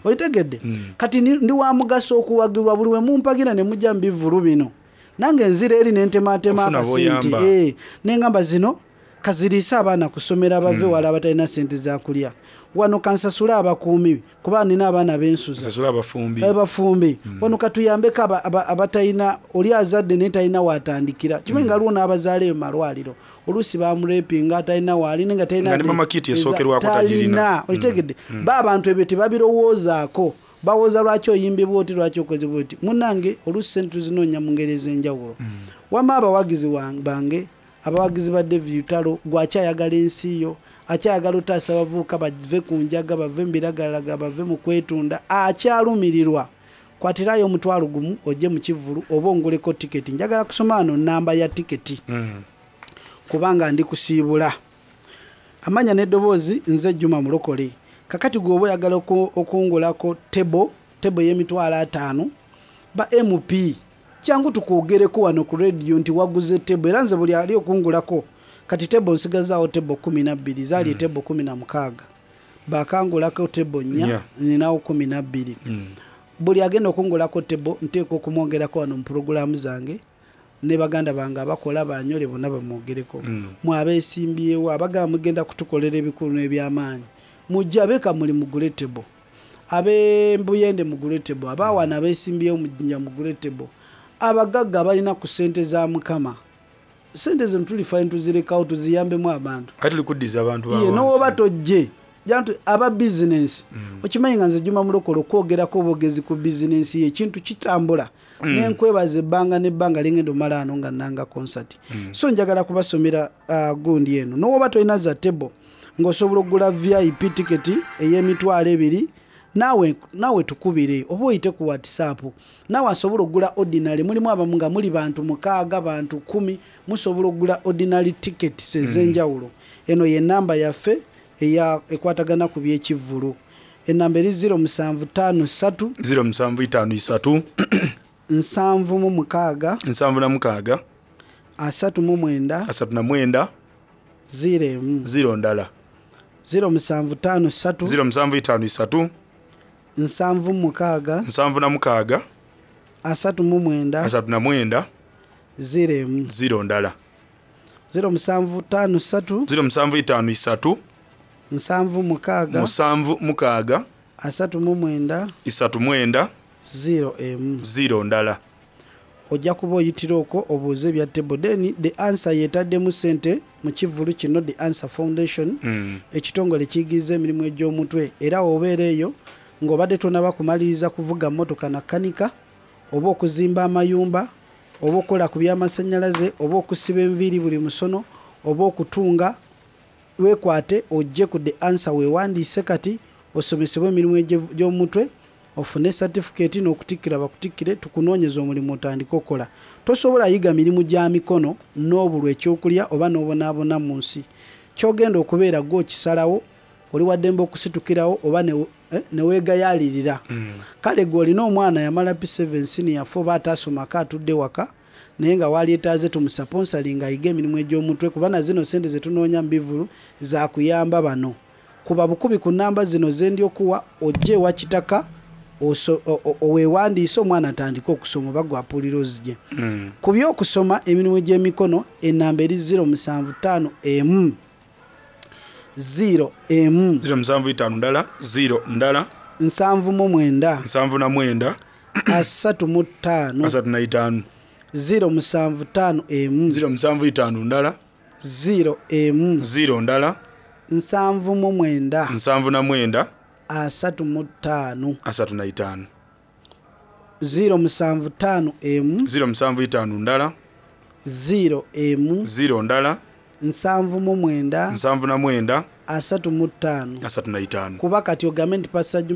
otegedde? Kati ndi wa mugaso okuwagirwa buli we mumpagira ne mujja mu bivvulu bino, nange nzira eri nentematema Ofuna akasente. b'oyamba. Nengamba zino kaziriise abaana kusomera bave wala abatalina sente zakulya, wano kansasule abakuumi kuba nina abaana bensuza, Sasula abafumbi. Abafumbi wano katuyambeko abatalina, oli azadde naye talina watandikira. Kimanyi nga aliwo n'abazaala eyo mu malwaliro, oluusi bamurepinga atalina waali naye nga talina Nga ne mama kit esookerwako tagirina. talina, okitegedde? Ba abantu ebyo tebabirowoozaako, bawooza lwaki oyimbibwa oti, lwaki okozebwa oti. Munnange, oluusi sente tuzinoonya mu ngeri ez'enjawulo. Wamma abawagizi bange, abawagizi ba David Lutalo, gwakyayagala ensi yo, akyayagala otaasa abavubuka bave ku njaga, bave mu biragalalagala, bave mu kwetunda, akyalumirirwa, kwatirayo 10,000 ojje mu kivvulu oba onguleko tiketi. Njagala kusoma wano namba ya tiketi kubanga ndi kusiibula. Amanya n'eddoboozi, nze Juma Mulokole. Kakati gwe oba oyagala okungulako table y'emitwalo 50, ba MP kyangu tukwogereko wano ku rediyo nti waguze table. Era nze buli ali okungulako kati table, nsigazaawo table 12, zaali table 16, bakangulako table nnya, Nnya. ninawo 12. Buli agenda okungulako table nteeka okumwongerako wano mu puroguramu zange, ne baganda bange abakola banyole bonna bamwogereko. Mwe abeesimbyewo abagamba mugenda kutukolera ebikulu n'ebyamaanyi, mujje abeeka muli mugule table, ab'embuyende mugule table, abawana abeesimbyewo mujinja mugule table, abagagga abalina ku ssente za Mukama, sente zino tulifa ntuzirekawo tuziyambemu abantu. Ate tuli kuddiza abantu Ye ba n'oba wansi. tojje jantu aba bizinensi, okimanyi nga nze Juma Mulokole okwogerako obwogezi ku bizinensi ye ekintu kitambula. Nenkwebaza ebbanga nebbanga lingenda omala ano nga nanga concert. So njagala kubasomera gundi eno, nowoba tolina za table ng'osobola okugula VIP ticket ey'emitwalo 2, naawe tukubire oba oyite ku WhatsApp. Naawe asobola okugula ordinary, mulimu abamu nga muli bantu 6, bantu 10, musobola okugula ordinary tickets ez'enjawulo. Eno ye namba yaffe eya ekwatagana ku byekivvulu. Enamba eri 0753 0753 76 76 39 39 01. 0 ndala. 0753 0753 76 76 39 39 01. 0 ndala. 0753 0753 76 76 39 39 01. 0 ndala. Ojja kuba oyitira okwo obuuze ebya table. Then The Answer yetaddemu sente mu kivvulu kino, The Answer Foundation, ekitongole kiyigiriza emirimu egy'omutwe. Era wobeera eyo ng'obadde tonaba kumaliriza kuvuga mmotoka na kanika, oba okuzimba amayumba, oba okukola ku byamasannyalaze, oba okusiba enviiri buli musono, oba okutunga, weekwate ojje ku The Answer weewandiise kati osomesebwe emirimu egy'omutwe, ofune certificate n'okutikkira bakutikkire, tukunoonyeza omulimu otandike okukola. Tosobola yiga mirimu gya mikono n'obulwa ekyokulya oba n'obonaabona mu nsi. Kyogenda okubeera gwe okisalawo, oli waddembe okusitukirawo oba neweegayaalirira. Kale gwe olina omwana yamala P7 senior 4 oba ataasomako atudde waka naye nga walyetaaze tumusaponsalinga ayiga emirimu egy'omutwe, kuba na zino sente zetunoonya mu bivvulu zakuyamba bano. Kuba bukubi ku namba zino zendi okuwa, ojje ewa Kitaka oweewandiise omwana atandike okusoma oba gwapuulira ozigye. Ku byokusoma emirimu gy'emikono, enamba eri 075 emu 0 emu 075 ndala 0 ndala 79 79 35 35 075 emu 075 ndala 0 emu 0 ndala 79 79 35. 35. 075 emu. 075 ndala. 0 emu. 0 ndala. 79. 79. 35. 35. Kuba kati ogambe nti Pastor Juma